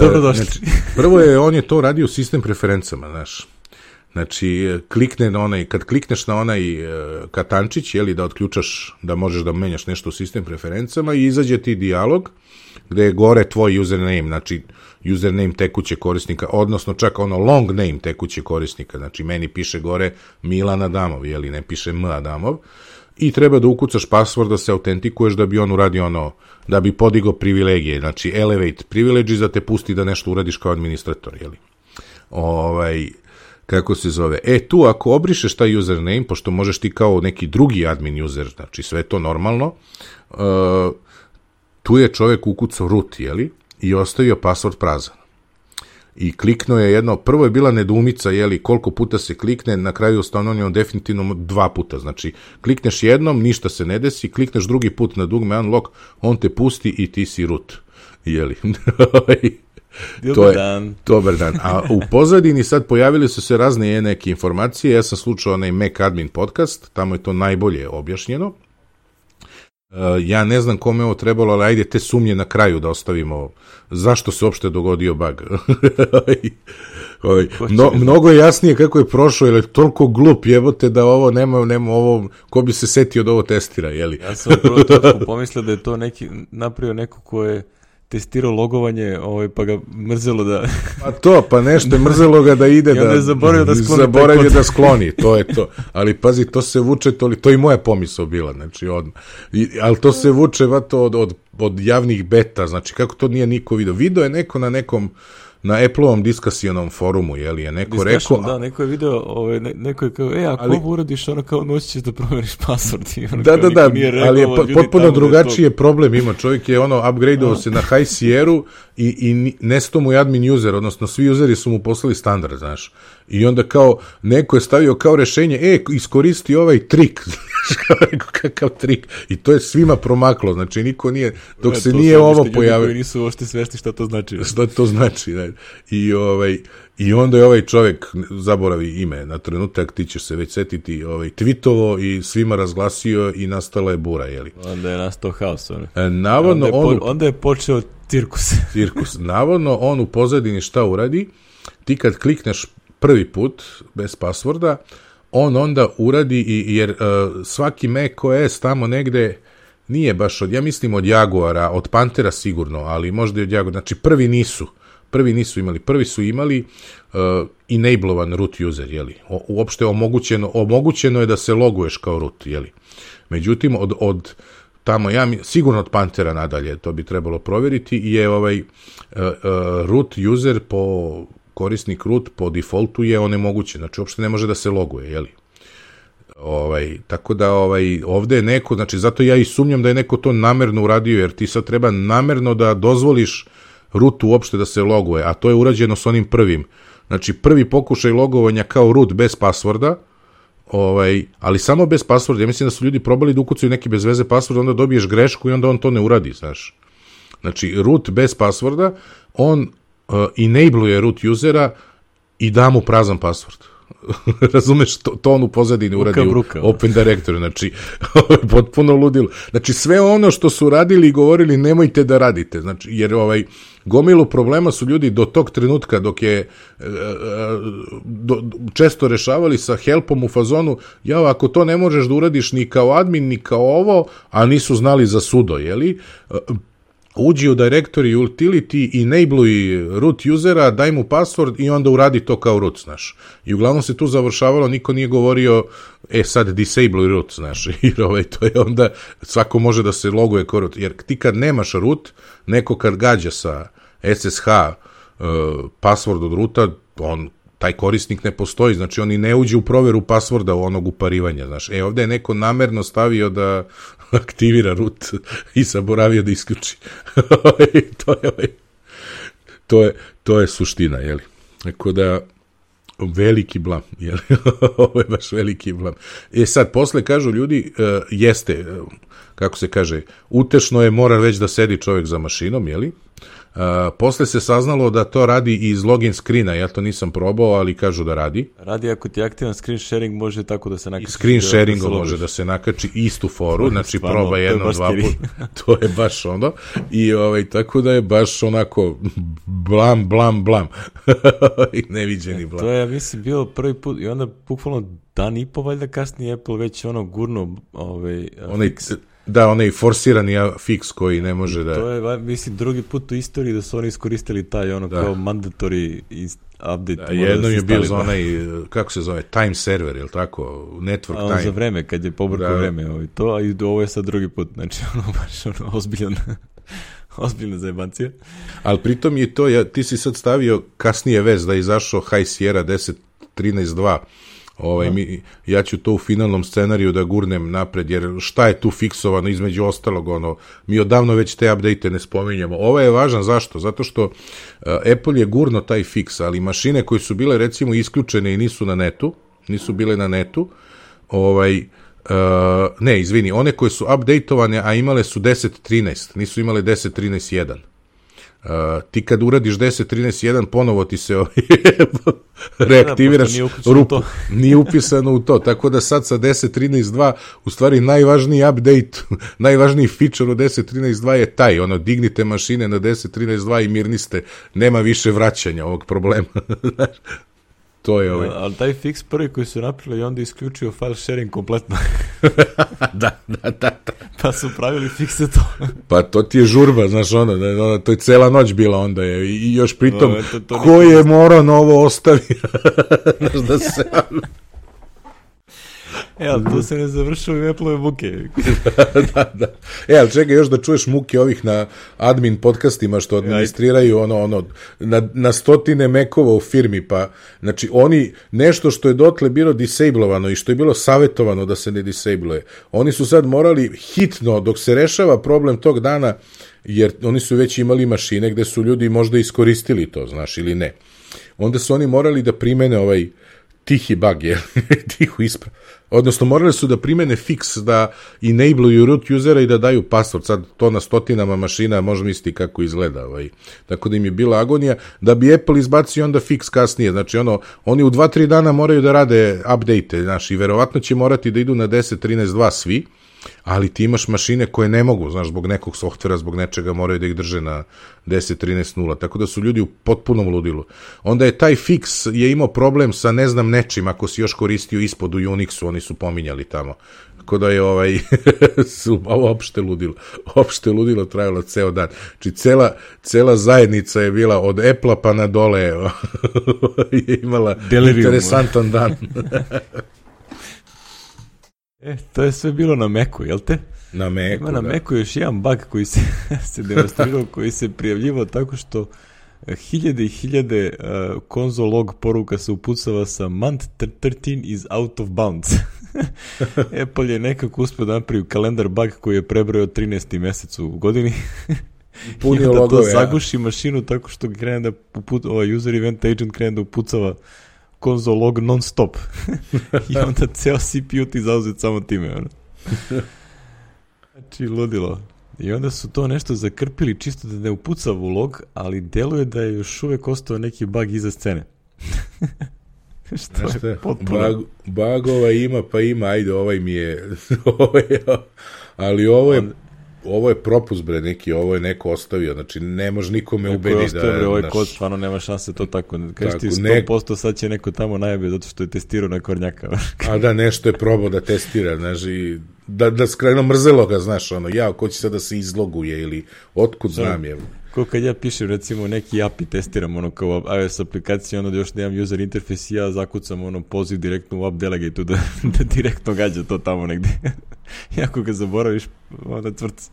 Dobrodošli. Znači, prvo je, on je to radio sistem preferencama, znaš. Znači, klikne na onaj, kad klikneš na onaj katančić, jeli, da otključaš, da možeš da menjaš nešto u sistem preferencama i izađe ti dijalog, gde je gore tvoj username, znači, username tekuće korisnika, odnosno čak ono long name tekuće korisnika, znači meni piše gore Milan Adamov, jeli, ne piše M Adamov, i treba da ukucaš password da se autentikuješ da bi on uradio ono, da bi podigao privilegije, znači elevate privileges da te pusti da nešto uradiš kao administrator, jeli. Ovaj, kako se zove, e tu ako obrišeš taj username, pošto možeš ti kao neki drugi admin user, znači sve to normalno, uh, tu je čovjek ukucao root, jeli, i ostavio password prazan. I kliknuo je jedno, prvo je bila nedoumica, jeli, koliko puta se klikne, na kraju ustanovljeno definitivno dva puta, znači klikneš jednom, ništa se ne desi, klikneš drugi put na dugme unlock, on te pusti i ti si root, jeli. Dobar dan. Dobar dan. A u pozadini sad pojavili su se razne neke informacije, ja sam slučao onaj Mac Admin podcast, tamo je to najbolje objašnjeno. Uh, ja ne znam kome ovo trebalo, ali ajde te sumnje na kraju da ostavimo zašto se uopšte dogodio bug. no, mnogo je jasnije kako je prošlo, jer je toliko glup jebote da ovo nema, nema ovo, ko bi se setio da ovo testira, jeli? Ja sam prvo točku pomislio da je to neki, napravio neko ko je testirao logovanje, ovaj, pa ga mrzelo da... Pa to, pa nešto je mrzelo ga da ide, da... I onda je zaboravio da skloni. Zaboravio da skloni, to je to. Ali pazi, to se vuče, to, to i moja pomisao bila, znači odmah. I, ali to se vuče, vato, od, od, od javnih beta, znači kako to nije niko video. Video je neko na nekom, na Apple-ovom diskasionom forumu, jeli je neko Discussion, rekao... Da, neko je video, ovaj, ne, neko je kao, e, ako ali, ovo uradiš, ono kao noći ćeš da promeniš password. I ono da, kao, da, da, rekao, ali je potpuno drugačiji je problem ima. Čovjek je ono, upgradeovao se na High Sierra i, i nesto mu je admin user, odnosno svi useri su mu poslali standard, znaš. I onda kao, neko je stavio kao rešenje, e, iskoristi ovaj trik, kakav trik, i to je svima promaklo, znači niko nije, dok ja, se nije ovo pojavio. Koji nisu uopšte svešti šta to znači. Šta to znači, da. I, ovaj, i onda je ovaj čovjek, zaboravi ime na trenutak, ti ćeš se već setiti, ovaj, tweetovo i svima razglasio i nastala je bura, jeli. Onda je nastao haos, ono. E, navodno, onda, je on, po, onda je počeo cirkus. Cirkus. Navodno, on u pozadini šta uradi, ti kad klikneš prvi put, bez passworda, on onda uradi, i, jer uh, svaki Mac O S tamo negde nije baš od, ja mislim od Jaguara, od Panthera sigurno, ali možda i od Jaguara, znači prvi nisu, prvi nisu imali, prvi su imali uh, enablovan root user, jeli, o, uopšte omogućeno, omogućeno je da se loguješ kao root, jeli, međutim, od, od tamo, ja sigurno od Panthera nadalje, to bi trebalo provjeriti, je ovaj uh, uh, root user po korisnik root po defaultu je onemogućen, znači uopšte ne može da se loguje, jeli? Ovaj, tako da ovaj, ovde je neko, znači zato ja i sumnjam da je neko to namerno uradio, jer ti sad treba namerno da dozvoliš rootu uopšte da se loguje, a to je urađeno s onim prvim. Znači prvi pokušaj logovanja kao root bez passworda, ovaj, ali samo bez passworda, ja mislim da su ljudi probali da ukucaju neki bez veze password, onda dobiješ grešku i onda on to ne uradi, znaš. Znači root bez passworda, on uh, enabluje root usera i da mu prazan password. Razumeš, to, to on u pozadini uradi u Open Directory, znači potpuno ludilo. Znači sve ono što su radili i govorili nemojte da radite, znači, jer ovaj, gomilu problema su ljudi do tog trenutka dok je do, često rešavali sa helpom u fazonu, ja ako to ne možeš da uradiš ni kao admin ni kao ovo, a nisu znali za sudo, jeli? Uđi u directory utility, enabluj root usera, daj mu password i onda uradi to kao root, znaš. I uglavnom se tu završavalo, niko nije govorio, e sad disabluj root, znaš, jer ovaj, to je onda, svako može da se loguje kao root, jer ti kad nemaš root, neko kad gađa sa S S H uh, password od roota, on taj korisnik ne postoji, znači on i ne uđe u proveru passworda u onog uparivanja, znaš. E, ovdje je neko namerno stavio da aktivira root i zaboravio da isključi. to, je, to, je, to je suština, jeli. Tako da, veliki blam, jeli. Ovo je baš veliki blam. E sad, posle kažu ljudi, uh, jeste, uh, kako se kaže, utešno je, mora već da sedi čovjek za mašinom, jeli. Uh, posle se saznalo da to radi i iz login screena, ja to nisam probao, ali kažu da radi. Radi ako ti je aktivan screen sharing, može tako da se nakači. Screen sharingom može da se nakači istu foru, znači Spano, proba jedno, dva puta. To je baš ono. I ovaj, tako da je baš onako blam, blam, blam. Neviđeni blam. E, to je, ja mislim, bilo prvi put i onda bukvalno dan i po valjda kasnije Apple već ono gurno ovaj, onaj, da, onaj forsirani fix koji ne može da... To je, mislim, drugi put u istoriji da su oni iskoristili taj ono da. Kao mandatory update. Da, jednom je bio za onaj, kako se zove, time server, ili tako, network a on time. Za vreme, kad je pobrkao vreme, ovaj, to, a i ovo je sad drugi put, znači ono baš ono ozbiljan, ozbiljna zajebancija. Ali pritom je to, ja, ti si sad stavio kasnije vez da je izašao High Sierra deset trinaest dva. Ovaj, mi, ja ću to u finalnom scenariju da gurnem napred, jer šta je tu fiksovano između ostalog, ono, mi odavno već te update ne spominjamo. Ovo je važan, zašto? Zato što uh, Apple je gurno taj fiks, ali mašine koje su bile recimo isključene i nisu na netu, nisu bile na netu, ovaj, uh, ne, izvini, one koje su updateovane, a imale su deset trinaest, nisu imale deset trinaest jedan. Uh, ti kad uradiš deset trinaest jedan ponovo ti se reaktiviraš, nije rupu, nije upisano u to, tako da sad sa deset trinaest dva u stvari najvažniji update, najvažniji feature u deset trinaest dva je taj, ono, dignite mašine na deset trinaest dva i mirni ste, nema više vraćanja ovog problema. To je ovaj. Ja, ali taj fix prvi koji su napravili i onda isključio file sharing kompletno. da, da, da, da. Pa su pravili fikse to. Pa to ti je žurba, znaš, ono, ono, to je cela noć bila onda je, i još pritom, no, to, to ko je morao novo ostavio? Znaš, da se... E, ali to se ne završava i Apple-ove muke. da, da. E, ali čekaj još da čuješ muke ovih na admin podcastima što administriraju ono, ono, na, na stotine mekova u firmi, pa, znači, oni, nešto što je dotle bilo disablovano i što je bilo savjetovano da se ne disabluje, oni su sad morali hitno, dok se rešava problem tog dana, jer oni su već imali mašine gde su ljudi možda iskoristili to, znaš, ili ne. Onda su oni morali da primene ovaj tihi bug, je, tihu isprav. Odnosno, morali su da primene fix, da enabluju root usera i da daju password. Sad to na stotinama mašina, možemo misliti kako izgleda. Ovaj. Tako da im je bila agonija. Da bi Apple izbacio onda fix kasnije. Znači, ono, oni u dva tri dana moraju da rade update, znaš, i verovatno će morati da idu na deset trinaest dva svi, ali ti imaš mašine koje ne mogu, znaš, zbog nekog softvera, zbog nečega moraju da ih drže na deset trinaest nula, tako da su ljudi u potpunom ludilu. Onda je taj fix je imao problem sa ne znam nečim, ako si još koristio ispod u Unixu, oni su pominjali tamo. Tako da je ovaj, ovo opšte ludilo, opšte ludilo trajalo ceo dan. Znači, cela, cela zajednica je bila od Apple-a pa na dole, je imala Delirium. Interesantan dan. E, to je sve bilo na Macu, jel te? Na Macu, Ima na da. Macu još jedan bug koji se, se demonstrirao, koji se prijavljivao tako što hiljade i hiljade uh, console log poruka se upucava sa month thirteen is out of bounds. Apple je nekako uspio da napravi kalendar bug koji je prebrojao trinaesti mesec u godini. Punio i onda logove, to zaguši ja. Mašinu tako što krene da uput, ovaj user event agent krene da upucava console log non stop. I onda ceo C P U ti zauzet samo time. Ono. Znači, ludilo. I onda su to nešto zakrpili čisto da ne upuca u log, ali deluje da je još uvek ostao neki bug iza scene. Što je potpuno... Bug, bugova ima, pa ima, ajde, ovaj mi je... ovaj, ali ovo je... On... Ovo je propust, bre, neki, ovo je neko ostavio, znači ne može nikome ubedi da... Neko je ostavio, ovaj naš... kod, stvarno nema šanse to tako. Kaži ti sto posto sad će neko tamo najavio zato što je testirao na kornjaka. A da, nešto je probao da testira, znaš, i da, da skrajno mrzelo ga, znaš, ono, ja, ko će sad da se izloguje ili otkud znam je. Ko kad ja pišem, recimo, neki api testiram, ono, kao iOS aplikacija, ono, da još nemam user interface i ja zakucam, ono, poziv direktno u app delegate da, da direktno gađa to tamo negde. I ako ga zaboraviš, onda tvrc.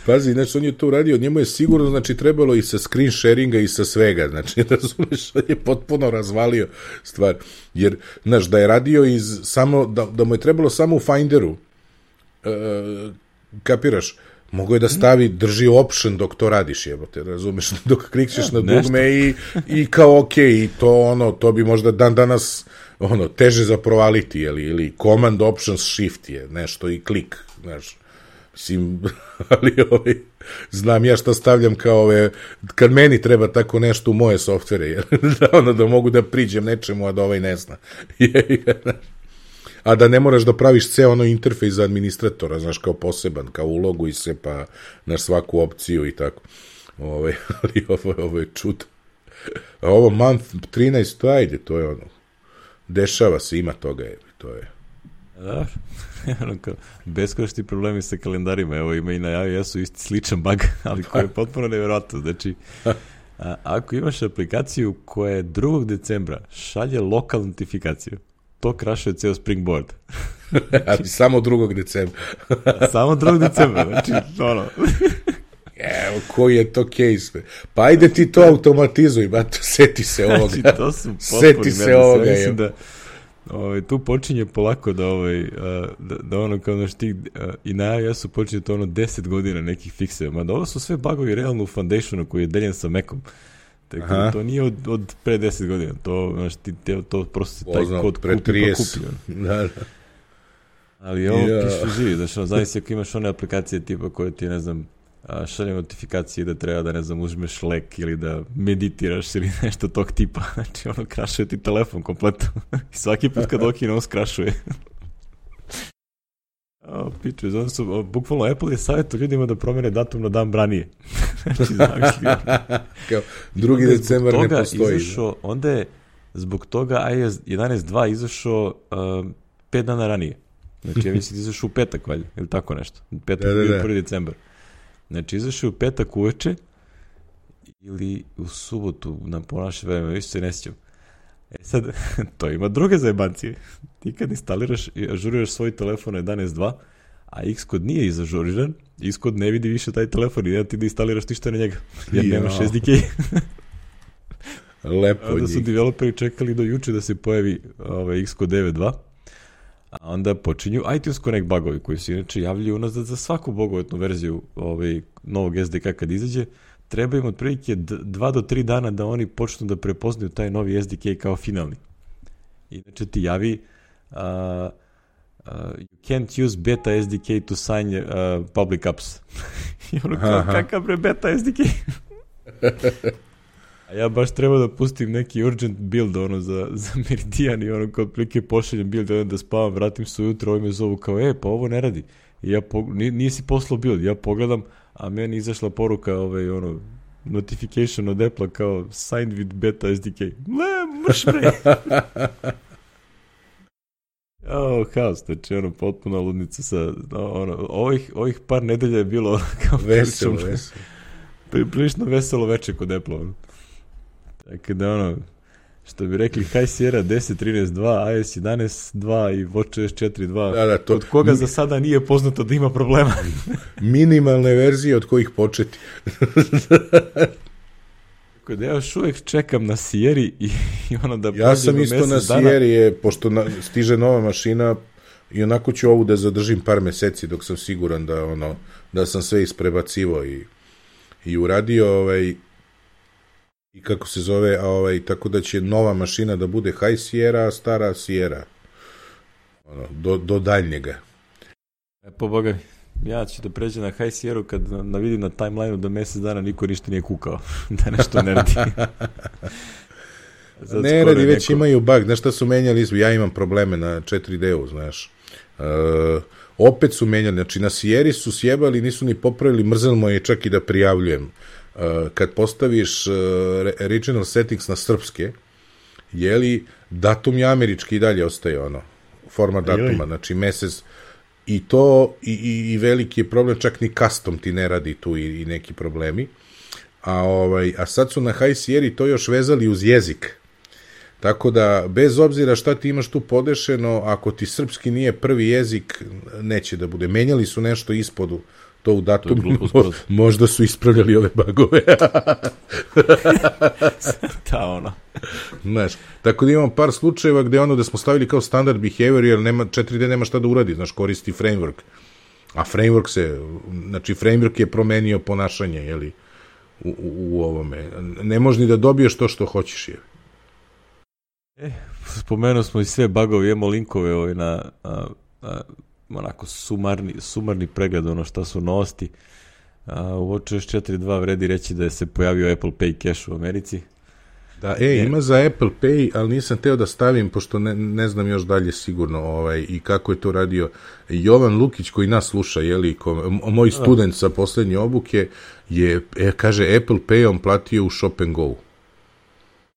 Pazi, znači, on je to uradio, njemu je sigurno, znači, trebalo i sa screen sharinga i sa svega, znači, razumeš, on je potpuno razvalio stvar, jer, znaš, da je radio iz samo, da, da mu je trebalo samo u Finderu, uh, kapiraš, mogo je da stavi, drži option dok to radiš, jebote, razumeš, dok klikćeš na dugme i, i kao ok, i to ono, to bi možda dan danas ono, teže za provaliti, ili, ili command options shift je nešto i klik, znaš, mislim, ali ovaj, znam ja šta stavljam kao ove, kad meni treba tako nešto u moje softvere, jer, da, ono, da mogu da priđem nečemu, a da ovaj ne zna. A da ne moraš da praviš ceo ono interfejs za administratora, znaš, kao poseban, kao ulogu i se, pa na svaku opciju i tako. Ove, ali ovo, ovo je čudo. A ovo month trinaest, ajde, to je ono, dešava se, ima toga, je, to je. Da, beskonačni problemi sa kalendarima, evo ima i na iOS-u isti sličan bug, ali koji je potpuno nevjerojatno. Znači, a, ako imaš aplikaciju koja je drugog decembra šalje lokal notifikaciju, to krašuje ceo Springboard. Ali samo drugog decembra. Samo drugog decembra, znači, ono... Evo, koji je to case? Pa ajde ti to automatizuj, ba, to seti se ovoga. Znači, to su seti se ovoga. Ja mislim da ovaj, tu počinje polako da, ovaj, da, da ono kao naš tih, i na iOS-u počinje to ono deset godina nekih fikseva. Mada ovo su sve bugovi realno u Foundationu koji je deljen sa Macom. Tako da to nije od, od pre deset godina. To, znaš, ti, te, to prosto se taj Poznam, kod pre kupi trideset. pa kupi. Da, da. Ali ovo ja. Piše živi, znači, ono, zavisi ako imaš one aplikacije tipa koje ti, ne znam, šalje notifikacije da treba da, ne znam, uzmeš lek ili da meditiraš ili nešto tog tipa. Znači, ono, krašuje ti telefon kompletno. I svaki put kad okine, on skrašuje. O, piče, znači su, o, bukvalno Apple je savjeto ljudima da promene datum na dan ranije. Znači, zamisli. Kao, drugi decembar ne postoji. Izašao, onda je zbog toga iOS jedanaest dva izašao uh, pet dana ranije. Znači, ja mislim da izašao u petak, valjda, ili tako nešto. Petak je bio prvi decembar. Znači, izašao u petak uveče ili u subotu na ponaše vreme, više se ne sjećam. E sad, to ima druge zajebancije. Ti kad instaliraš i ažuriraš svoj telefon na jedanaest dva, a Xcode nije izažuriran, Xcode ne vidi više taj telefon i ne ti da instaliraš ništa na njega, jer nemaš S D K. Lepo njih. Onda su developeri čekali do juče da se pojavi ovaj, Xcode devet dva, a onda počinju iTunes Connect bugovi koji se inače javljaju unazad za svaku bogovetnu verziju ovaj, novog S D K kad izađe. Treba im otprilike dva do tri dana da oni počnu da prepoznaju taj novi S D K kao finalni. Inače ti javi uh, uh, you can't use beta S D K to sign uh, public apps. I ono kao, kakav bre beta S D K? A ja baš treba da pustim neki urgent build ono za, za Meridian i ono kao otprilike pošaljem build da, da spavam, vratim se ujutro, ovo me zovu kao, e, pa ovo ne radi. I ja po, nisi poslao build, ja pogledam, a meni izašla poruka, ovaj, ono, notification od Apple kao signed with beta S D K. Ne, mrš bre! Oh, haos, znači ono, potpuno ludnica sa, ono, ovih, ovih par nedelja je bilo kao veselo, veselo. Prilično veselo veče kod Apple, ono. Tako da, ono, što bi rekli, High Sierra deset trinaest dva, iOS jedanaest dva i WatchOS četiri dva, da, da, to... od koga za sada nije poznato da ima problema. Minimalne verzije od kojih početi. Tako da ja još uvijek čekam na Sierri i, i ono da... Ja sam isto na Sierri, je, pošto na, stiže nova mašina i onako ću ovu da zadržim par meseci dok sam siguran da, ono, da sam sve isprebacivo i, i uradio, ovaj... I kako se zove, a ovaj, tako da će nova mašina da bude High Sierra, a stara Sierra. Ono, do, do daljnjega. E, po Boga mi. ja ću da pređem na High Sierra kad na vidim na timelineu da mesec dana niko ništa nije kukao, da nešto ne radi. Ne radi, već neko... imaju bug, znaš šta su menjali, ja imam probleme na četiri D-u, znaš. Uh, opet su menjali, znači na Sierri su sjebali, nisu ni popravili, mrzelo je čak i da prijavljujem. Uh, kad postaviš uh, regional settings na srpske, jeli, datum je američki i dalje ostaje ono, format datuma, znači mesec, i to, i, i, i veliki je problem, čak ni custom ti ne radi tu i, i neki problemi, a, ovaj, a sad su na High Sierri to još vezali uz jezik, tako da, bez obzira šta ti imaš tu podešeno, ako ti srpski nije prvi jezik, neće da bude, menjali su nešto ispodu, to u datumu, mo, možda su ispravljali ove bugove. Ta ono. Znaš, tako da imam par slučajeva gde ono da smo stavili kao standard behavior, jer nema, četiri D nema šta da uradi, znaš, koristi framework. A framework se, znači framework je promenio ponašanje, jeli, u, u, u ovome. Ne možeš ni da dobiješ to što hoćeš, je. E, spomenuo smo i sve bugove, imamo linkove ovaj na... A, a, onako sumarni, sumarni pregled ono šta su novosti. A, u WatchOS četiri dva vredi reći da je se pojavio Apple Pay cache u Americi. Da, e, ima za Apple Pay, ali nisam teo da stavim, pošto ne, ne znam još dalje sigurno ovaj, i kako je to radio Jovan Lukić, koji nas sluša, jeli, ko, moj student sa poslednje obuke, je, e, kaže, Apple Pay on platio u Shop and Go.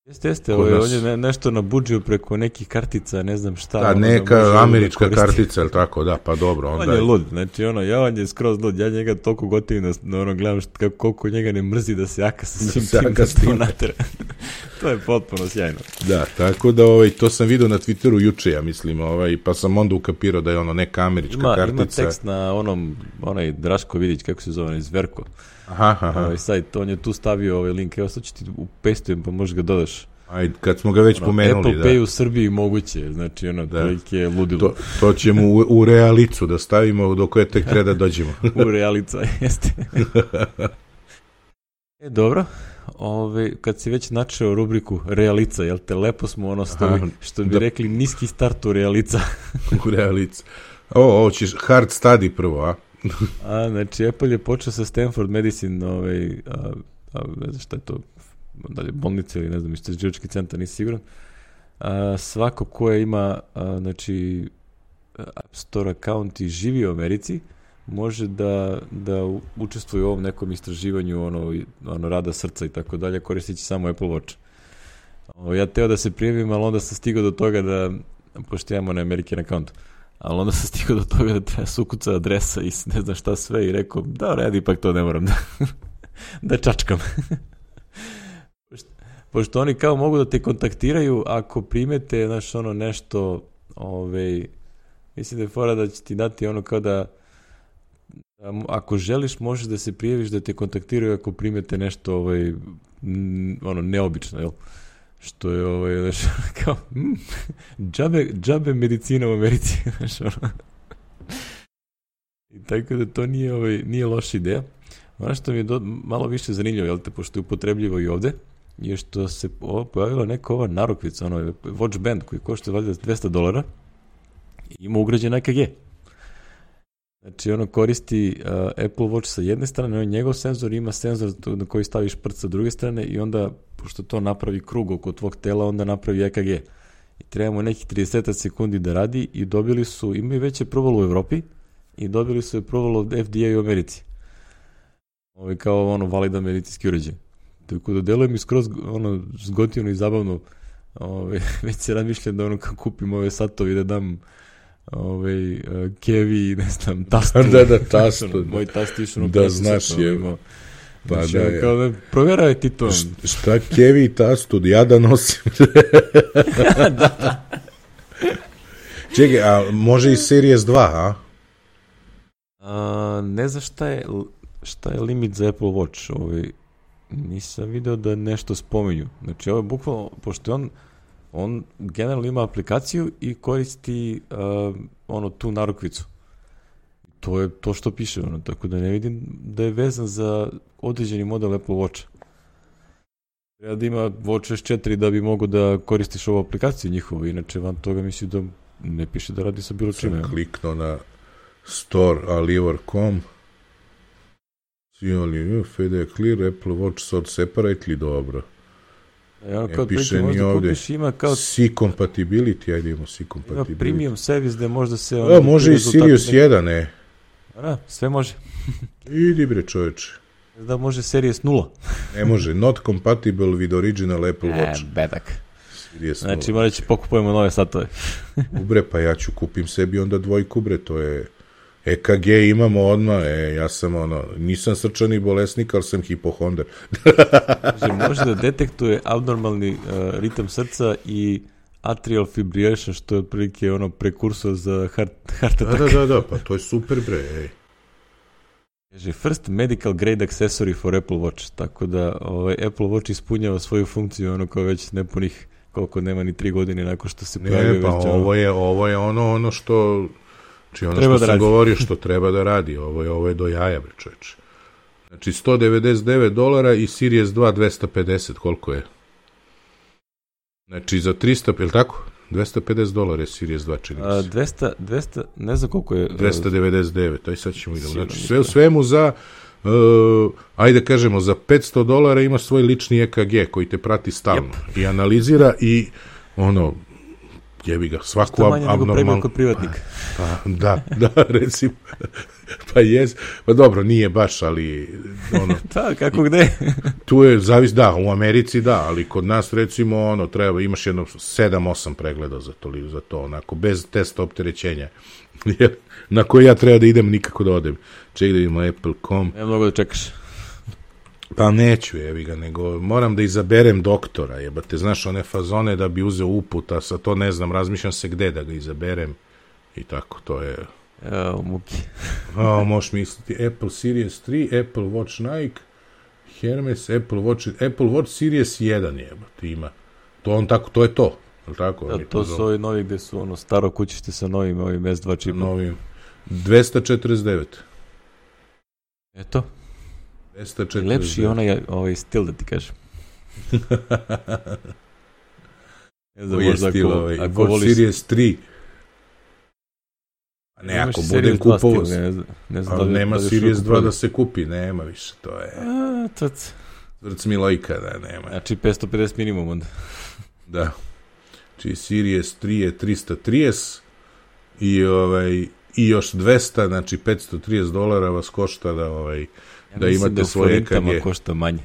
Jeste, jeste, ovo je, on je ne, nešto nabuđio preko nekih kartica, ne znam šta. Da, neka da američka da kartica, ili tako, da, pa dobro. Onda on je lud, znači ono, ja on je skroz lud, ja njega toliko gotivim da, da ono, gledam šta, koliko njega ne mrzi da se jaka sa svim tim da to natera. To je potpuno sjajno. Da, tako da ovaj, to sam vidio na Twitteru juče, ja mislim, ovaj, pa sam onda ukapirao da je ono neka američka ima, kartica. Ima tekst na onom, onaj Draško Vidić, kako se zove, iz Verko. Aha, aha. Ovaj sajt, on je tu stavio ovaj link, evo sad ću ti upestujem pa možeš ga dodaš. Ajde, kad smo ga već ono, pomenuli, Apple da. Apple Pay u Srbiji moguće, znači ono, da. Prilike je ludilo. To, to ćemo u, u realicu da stavimo do koje tek treba da dođemo. U realica, jeste. E, dobro, ove, kad si već načeo rubriku realica, jel te, lepo smo ono stoji, što bi da. rekli niski start u realica. U realica. O, ovo ćeš hard study prvo, a? A, znači, Apple je počeo sa Stanford Medicine, ovaj, a, a, ne znam šta je to, dalje, bolnice ili ne znam, istraživački centar, nisi siguran. A, svako ko je ima, a, znači, App Store account i živi u Americi, može da, da učestvuje u ovom nekom istraživanju ono, ono rada srca i tako dalje, koristići samo Apple Watch. O, ja teo da se prijavim, ali onda sam stigao do toga da, pošto imamo na American account, ali onda sam stigao do toga da treba sukuca adresa i ne znam šta sve i rekao, da, red, ipak to ne moram da, da čačkam. pošto, pošto oni kao mogu da te kontaktiraju ako primete, znaš, ono nešto, ovaj, mislim da je fora da će ti dati ono kao da ako želiš, možeš da se prijaviš da te kontaktiraju ako primete nešto ovaj, m, ono, neobično, jel? Što je, ovaj, znaš, kao, mm, džabe, džabe medicina u Americi, znaš, ono. I tako da to nije, ovaj, nije loša ideja. Ono što mi je do, malo više zanimljivo, jel te, pošto je upotrebljivo i ovde, je što se o, pojavila neka ova narukvica, ono, Watch Band, koji košta valjda dvesta dolara i ima ugrađen E K G. Znači, ono koristi uh, Apple Watch sa jedne strane, on je njegov senzor, ima senzor na koji staviš prst sa druge strane i onda, pošto to napravi krug oko tvog tela, onda napravi E K G. I trebamo nekih trideset sekundi da radi i dobili su, imaju već je probalo u Evropi i dobili su je probalo od F D A u Americi. Ovo je kao ono validan medicinski uređaj. Tako da deluje mi skroz ono zgotivno i zabavno. Ove, već se razmišljam da ono kako kupim ove satovi da dam ovaj uh, kevi, ne znam, tastu. Da, da, tastu. Moj tast išao ono da, znaš je. Imao. Pa znači, da je. Kao da provjeraj ti to. Š, šta kevi i tastu, ja da nosim. da, da. Čekaj, a može i Series dva, a? a ne znam šta je, šta je limit za Apple Watch. Ovaj, nisam video da nešto spominju. Znači, ovo je bukvalno, pošto on on generalno ima aplikaciju i koristi uh, ono tu narukvicu. To je to što piše, ono, tako da ne vidim da je vezan za određeni model Apple Watcha. Treba da ima WatchOS četiri da bi mogo da koristiš ovu aplikaciju njihovu, inače van toga mislim da ne piše da radi sa bilo čime. Sam kliknuo na Store, Aliver dot com, Fede Clear, Apple Watch Sort Separately, dobro. Ja, kao piše ni ovdje. Ima kao... C compatibility, ajde imamo C compatibility. Ima premium servis gde možda se... A, može i Sirius jedan, ne. Da, sve može. Idi bre čovječe. Da može Series nula. Ne može, not compatible with original Apple Watch. E, bedak. Series znači, morat će pokupujemo nove satove. Ubre, pa ja ću kupim sebi onda dvojku, bre, to je... E K G imamo odmah, e, ja sam ono, nisam srčani bolesnik, ali sam hipohonder. Znači, može da detektuje abnormalni uh, ritam srca i atrial fibrillation, što je otprilike ono prekursor za heart, heart attack. Da, da, da, pa to je super, bre, ej. Kaže, first medical grade accessory for Apple Watch, tako da ovaj, Apple Watch ispunjava svoju funkciju, ono kao već nepunih, koliko nema ni tri godine nakon što se pojavio. Ne, pa već, ovo, je, ovo je ono, ono što... Znači ono treba što da sam radi. govorio što treba da radi, ovo je, ovo je do jaja, bre čoveče. Znači sto devedeset devet dolara i Series dva dvesta pedeset, koliko je? Znači za tristo, je li tako? dvesta pedeset dolara je Series dva, čini A, dvesta, dvesta, ne znam koliko je... dvesta devedeset devet, aj sad ćemo idemo. Znači sve u svemu za, uh, ajde kažemo, za petsto dolara ima svoj lični E K G koji te prati stalno yep. i analizira i ono... jebi ga, svaku ab- abnormalnu... kod privatnika. Pa, da, da, recimo. Pa jes, pa dobro, nije baš, ali... Ono, da, kako gde? tu je, zavis, da, u Americi da, ali kod nas, recimo, ono, treba, imaš jedno sedam osam pregleda za to, za to, onako, bez testa opterećenja. Na koji ja treba da idem, nikako da odem. Ček da vidimo Apple dot com. Ne mogu da čekaš. Pa neću, jebi ga, nego moram da izaberem doktora, jebate, znaš, one fazone da bi uzeo uput, a sa to ne znam, razmišljam se gde da ga izaberem i tako, to je... Evo, muki. A, možeš misliti, Apple Series tri, Apple Watch Nike, Hermes, Apple Watch, Apple Watch Series jedan, jebate, ima. To on tako, to je to, je li tako? Da, to su ovi novi gde su ono staro kućište sa novim, ovim S dva čipom. Novim, dvesta četrdeset devet. Eto. dvesta četrdeset devet. Lepši je onaj ovaj stil, da ti kažem. Ne znam, možda stil, ako, ovaj, ako voliš... Series tri. Ne, ako budem kupovao... Ne znam, ne znam ali da li, nema da li Series dva da se kupi, nema više, to je... A, to... Vrc Milojka, da, nema. Znači petsto pedeset minimum onda. Da. Znači Series tri je tristo trideset i, ovaj, i još dvesta, znači petsto trideset dolara vas košta da... Ovaj, ja da imate da svoje E K G. Košta manje.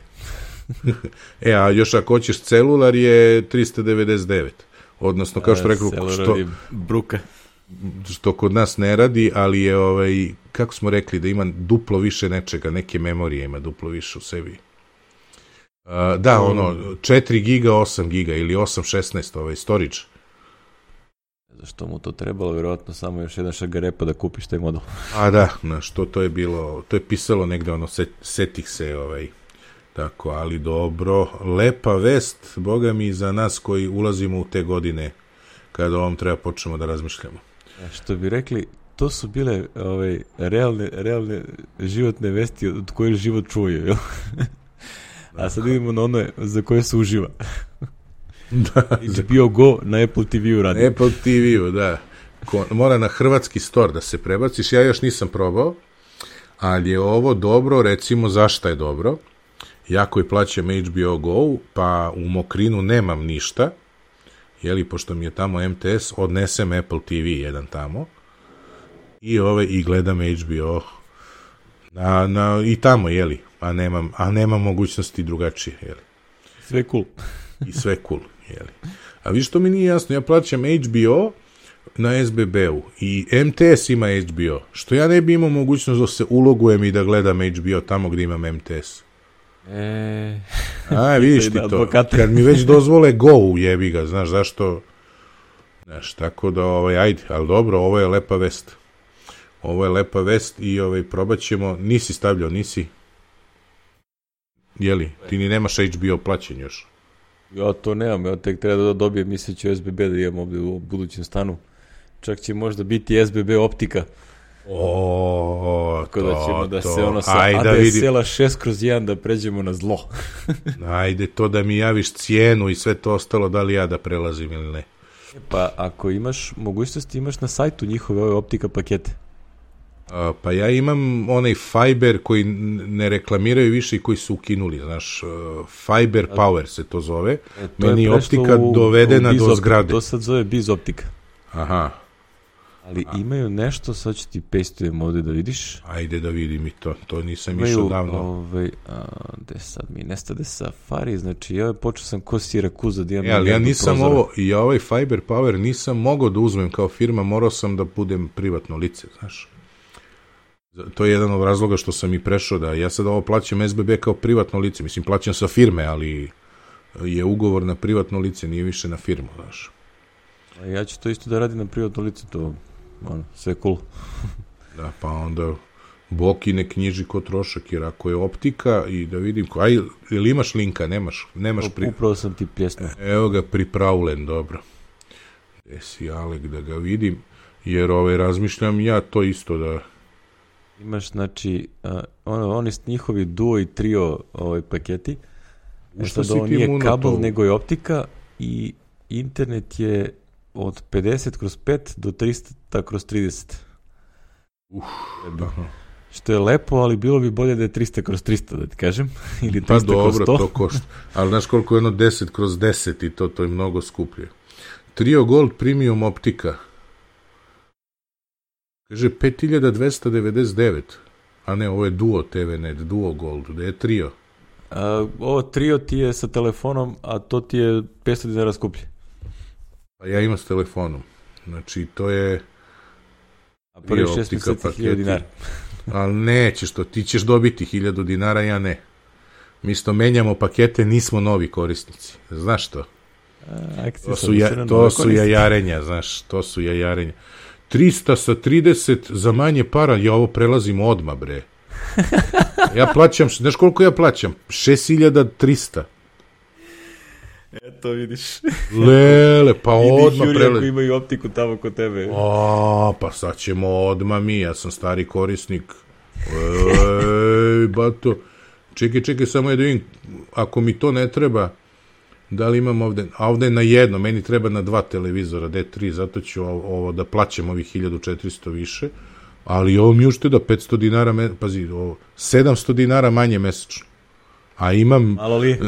E, a još ako hoćeš celular je tristo devedeset devet. Odnosno, kao što rekao, što, bruka. što kod nas ne radi, ali je, ovaj, kako smo rekli, da ima duplo više nečega, neke memorije ima duplo više u sebi. Uh, da, um, ono, četiri giga, osam giga ili osam šesnaest, ovaj, storage. Zašto mu to trebalo, vjerojatno samo još jedan šagarepa da kupiš taj model. A da, na što to je bilo, to je pisalo negde, ono, set, setih se, ovaj, tako, ali dobro, lepa vest, boga mi, za nas koji ulazimo u te godine, kada ovom treba počnemo da razmišljamo. E, što bi rekli, to su bile ovaj, realne, realne životne vesti od koje život čuje, jel? A sad idemo na ono za koje se uživa. Da, H B O Go na Apple T V-u radi. Apple T V-u, da. Ko, mora na hrvatski store da se prebaciš, ja još nisam probao, ali je ovo dobro, recimo zašto je dobro. Ja koji plaćam H B O Go, pa u Mokrinu nemam ništa, jeli, pošto mi je tamo M T S, odnesem Apple T V jedan tamo i ove i gledam H B O na, na, i tamo, jeli, a nemam, a nemam mogućnosti drugačije, jeli. Sve cool. I sve cool, jeli. A vi što mi nije jasno, ja plaćam H B O na S B B-u i M T S ima H B O, što ja ne bi imao mogućnost da se ulogujem i da gledam H B O tamo gdje imam M T S. E... A, vidiš ti to, kad mi već dozvole Go, jebi ga, znaš zašto, znaš, tako da, ovaj, ajde, ali dobro, ovo je lepa vest, ovo je lepa vest i ovaj, probat ćemo, nisi stavljao, nisi, jeli, ti ni nemaš H B O plaćen još. Ja to nemam, ja tek treba da dobijem, misleći o S B B da imam ovdje u budućem stanu, čak će možda biti S B B optika. O, tako da ćemo da to. se ono sa Ajde, A D S L-a šest kroz jedan da pređemo na zlo. Ajde to da mi javiš cijenu i sve to ostalo, da li ja da prelazim ili ne. Pa ako imaš mogućnosti, imaš na sajtu njihove ove optika pakete. A, pa ja imam onaj Fiber koji ne reklamiraju više i koji su ukinuli, znaš, Fiber Power se to zove. E, to Meni je optika u, dovedena u do zgrade. To sad zove Biz optika. Aha. Ali A. imaju nešto, sad ću ti pastujem ovde da vidiš. Ajde da vidim i to, to nisam išao davno. Ovaj, a, gde sad mi nestade Safari, znači ja počeo sam ko Sirakuza da imam... E, ali ja nisam prozora. Ovo, ja ovaj Fiber Power nisam mogao da uzmem kao firma, morao sam da budem privatno lice, znaš. To je jedan od razloga što sam i prešao, da ja sad ovo plaćam S B B kao privatno lice, mislim plaćam sa firme, ali je ugovor na privatno lice, nije više na firmu, znaš. A ja ću to isto da radim na privatno lice, to ono, sve cool. Da, pa onda Boki ne knjiži ko trošak, jer ako je optika i da vidim, ko, aj, ili imaš linka, nemaš, nemaš pri... Upravo sam ti pljesno. Evo ga, pripravljen, dobro. Gde si, Alek, da ga vidim, jer ovaj, razmišljam ja to isto da... Imaš, znači, uh, ono, oni njihovi duo i trio ovaj, paketi. E sad ovo nije kabel, to... nego je optika i internet je od pedeset kroz pet do trista kroz trideset. Uf, što je lepo, ali bilo bi bolje da je trista kroz trista, da ti kažem. Ili trista pa dobro, kroz sto. To košta. Ali znaš koliko je ono deset kroz deset i to, to je mnogo skuplje. Trio Gold Premium optika. Kaže pet hiljada dvesta devedeset devet. A ne, ovo je Duo T V Net, Duo Gold. Gde je trio? A, ovo trio ti je sa telefonom, a to ti je petsto dinara skuplje. Pa ja imam s telefonom. Znači, to je... A prvi šest meseci hiljadu dinara. Ali nećeš to, ti ćeš dobiti hiljadu dinara, ja ne. Mi sto menjamo pakete, nismo novi korisnici. Znaš to? A, to su, ja, to su jajarenja, znaš, to su jajarenja. trista sa trideset za manje para, ja ovo prelazim odmah, bre. Ja plaćam, znaš koliko ja plaćam? šest hiljada trista. Eto, vidiš. Lele, pa odmah prelazim. Vidi, Juri, ako imaju optiku tamo kod tebe. O, pa sad ćemo odmah mi, ja sam stari korisnik. Ej, bato. Čekaj, čekaj, samo je da vidim, ako mi to ne treba, da li imam ovde, a ovde je na jedno, meni treba na dva televizora, D tri, zato ću ovo da plaćam ovih hiljadu četiristo više, ali ovo mi ušte da petsto dinara, pazi, ovo, sedamsto dinara manje mesečno. A imam, malo li?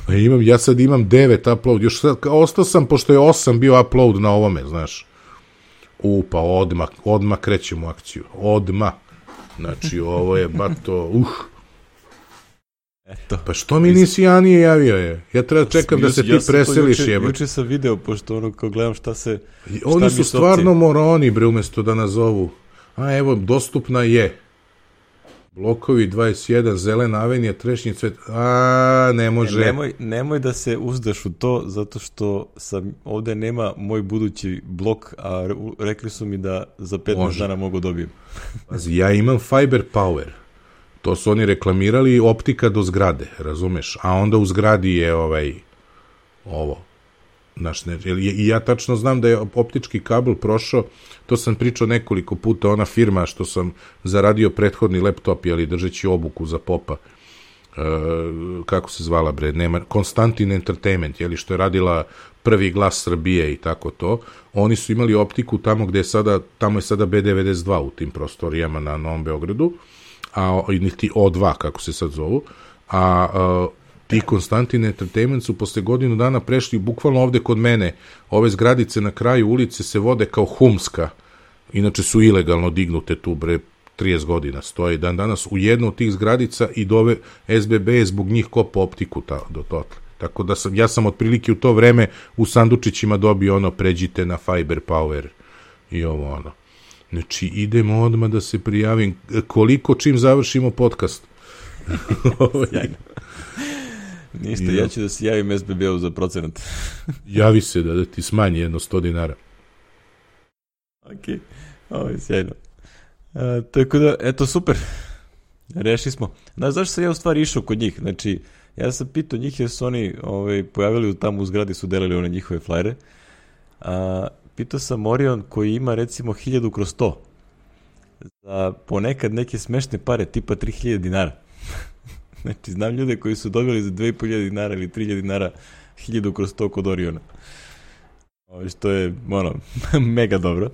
A imam, ja sad imam devet upload, još sad, ostao sam, pošto je osam bio upload na ovome, znaš. U, pa odmah, odmah krećemo u akciju, odmah. Znači, ovo je bato, uh. Eto. Pa što mi nisi Janije javio je? Ja treba čekam da se ti preseliš, jeba. Juče sam video, pošto ono, kao gledam šta se... Šta oni su stvarno moroni, bre, umesto da nazovu. A evo, dostupna je. Blokovi dvadeset jedan, zelena avenija, trešnji cvet. A, ne može. E, nemoj, nemoj da se uzdaš u to, zato što sam, ovde nema moj budući blok, a rekli su mi da za petnaest dana mogu dobijem. Pazi, ja imam Fiber Power. To su oni reklamirali, optika do zgrade, razumeš? A onda u zgradi je ovaj, ovo. Znaš, ne, i ja tačno znam da je optički kabel prošao, to sam pričao nekoliko puta, ona firma što sam zaradio prethodni laptop, jeli, držeći obuku za popa, e, kako se zvala, bre, nema, Konstantin Entertainment, jeli, što je radila Prvi glas Srbije i tako to, oni su imali optiku tamo gde je sada, tamo je sada B devedeset dva u tim prostorijama na Novom Beogradu, a niti O dva, kako se sad zovu, a, a ti Konstantin Entertainment su posle godinu dana prešli bukvalno ovde kod mene, ove zgradice na kraju ulice se vode kao humska, inače su ilegalno dignute tu, bre, trideset godina stoje dan danas u jednu od tih zgradica i dove S B B je zbog njih kopa optiku ta, do totle. Tako da sam, ja sam otprilike u to vreme u sandučićima dobio ono, pređite na Fiber Power i ovo ono. Znači, idemo odmah da se prijavim. Koliko čim završimo podcast? Sjajno. Ništa, ja. ja ću da se javim S B B-u za procenat. Javi se da, da ti smanji jedno sto dinara. Ok, ovo je sjajno. A, tako da, eto, super. Rešili smo. Znaš, zašto sam ja u stvari išao kod njih? Znači, ja sam pitao njih jer su oni ovaj, pojavili tamo u zgradi, su delili one njihove flajere. A, pitao sam Orion koji ima recimo hiljadu kroz sto. Za ponekad neke smešne pare, tipa tri hiljade dinara. Znači, znam ljude koji su dobili za dve i po hiljade dinara ili tri hiljade dinara hiljadu kroz sto kod Oriona. Ovo što je, ono, mega dobro.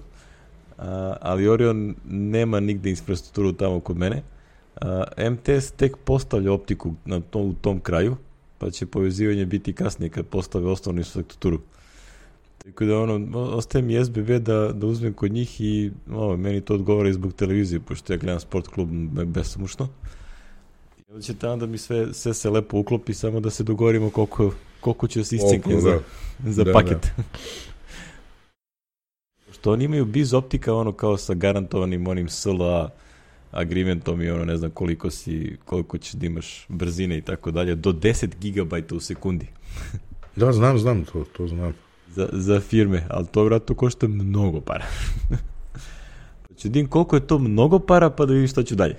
a, ali Orion nema nigde infrastrukturu tamo kod mene. A, M T S tek postavlja optiku na to, u tom kraju, pa će povezivanje biti kasnije kad postave osnovnu infrastrukturu. Tako da ono, ostaje mi S B B da, da uzmem kod njih i o, meni to odgovara i zbog televizije, pošto ja gledam sport klub besomučno. I onda će tamo da mi sve, sve se lepo uklopi, samo da se dogovorimo koliko, koliko će se iscinkne za, za da, paket. Da. Što oni imaju biz optika, ono kao sa garantovanim onim S L A agreementom i ono ne znam koliko si, koliko ćeš da imaš brzine i tako dalje, do deset gigabajta u sekundi. Da, znam, znam, to, to znam. Za, za firme, ali to vratno košta mnogo para. Pa ću dim koliko je to mnogo para, pa da vidim šta ću dalje.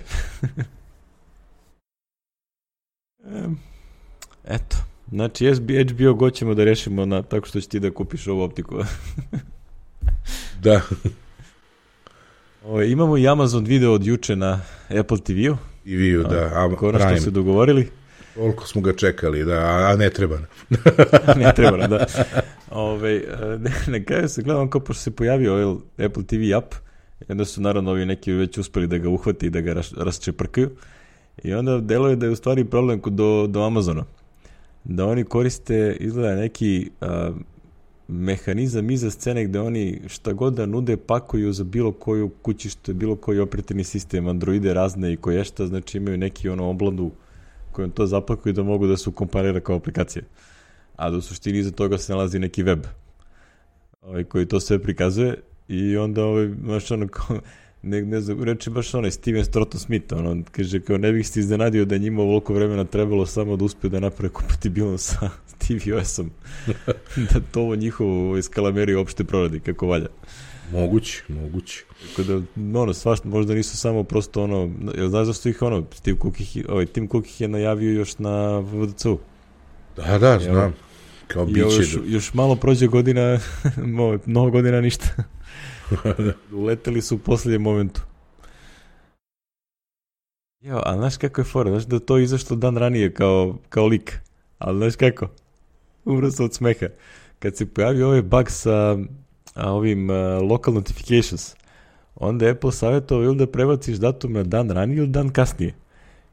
Eto, znači H B O Go ćemo da rešimo na, tako što će ti da kupiš ovu optiku. Da. O, imamo i Amazon video od juče na Apple T V-u. T V-u, da. A, konačno Prime. Se dogovorili. Koliko smo ga čekali, da, a ne treba. Ne treba, da. Ove, ne, na kraju se gledam kao pošto se pojavio ovaj Apple T V app, i onda su naravno ovi neki već uspeli da ga uhvati i da ga ras, rasčeprkaju. I onda deluje da je u stvari problem do, do Amazona. Da oni koriste, izgleda neki a, mehanizam iza scene gde oni šta god da nude pakuju za bilo koju kućište, bilo koji operativni sistem, Androide razne i koje šta, znači imaju neki ono obladu kojom to zapakuju da mogu da se ukomparira kao aplikacije. A da u suštini iza toga se nalazi neki web ovaj, koji to sve prikazuje i onda ovaj, znaš ono kao, ne, ne znam, reči baš onaj Steven Stratton Smith, ono, kaže kao ne bih se iznenadio da njima ovoliko vremena trebalo samo da uspiju da naprave kompatibilno sa tvOS-om. Da to ovo njihovo skalameri uopšte proradi kako valja. Moguće, moguće. Tako da, ono, svašta, možda nisu samo prosto ono, jel znaš zašto ih ono, Steve Cook ih, ovaj, Tim Cook ih je najavio još na V D C-u. Da, da, znam. Evo, kao biće. Još, još malo prođe godina, mnogo godina ništa. Uleteli su u posljednjem momentu. Jo, a znaš kako je fora? Znaš da to izašlo dan ranije kao, kao lik. Ali znaš kako? Umro sam od smeha. Kad se pojavio ovaj bug sa a, ovim uh, local notifications, onda je Apple savjetovao ili da prebaciš datum na dan ranije ili dan kasnije.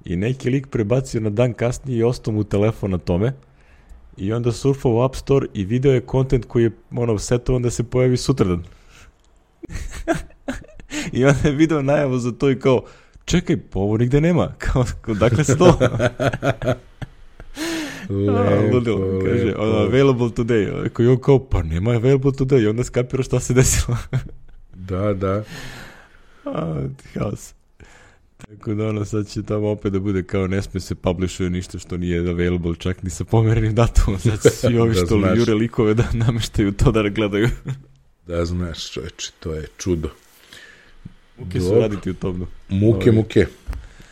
I neki lik prebacio na dan kasnije i ostao mu telefon na tome. I onda surfao u App Store i video je content koji je ono, setovan da se pojavi sutradan. I onda je video najavu za to i kao, čekaj, pa ovo nigde nema. Kao, dakle se to? Lepo, ludilo, kaže, ono, available today. Koji on kao, pa nema available today. I onda skapira šta se desilo. Da, da. A, haos. Tako da ono, sad će tamo opet da bude kao ne sme se publishuje ništa što nije available, čak ni sa pomerenim datumom. Sad će svi ovi što da jure likove da nameštaju to da gledaju. Da znaš, čoveče, to je čudo. Muke su raditi u tomnu. Muke, Ovi. muke.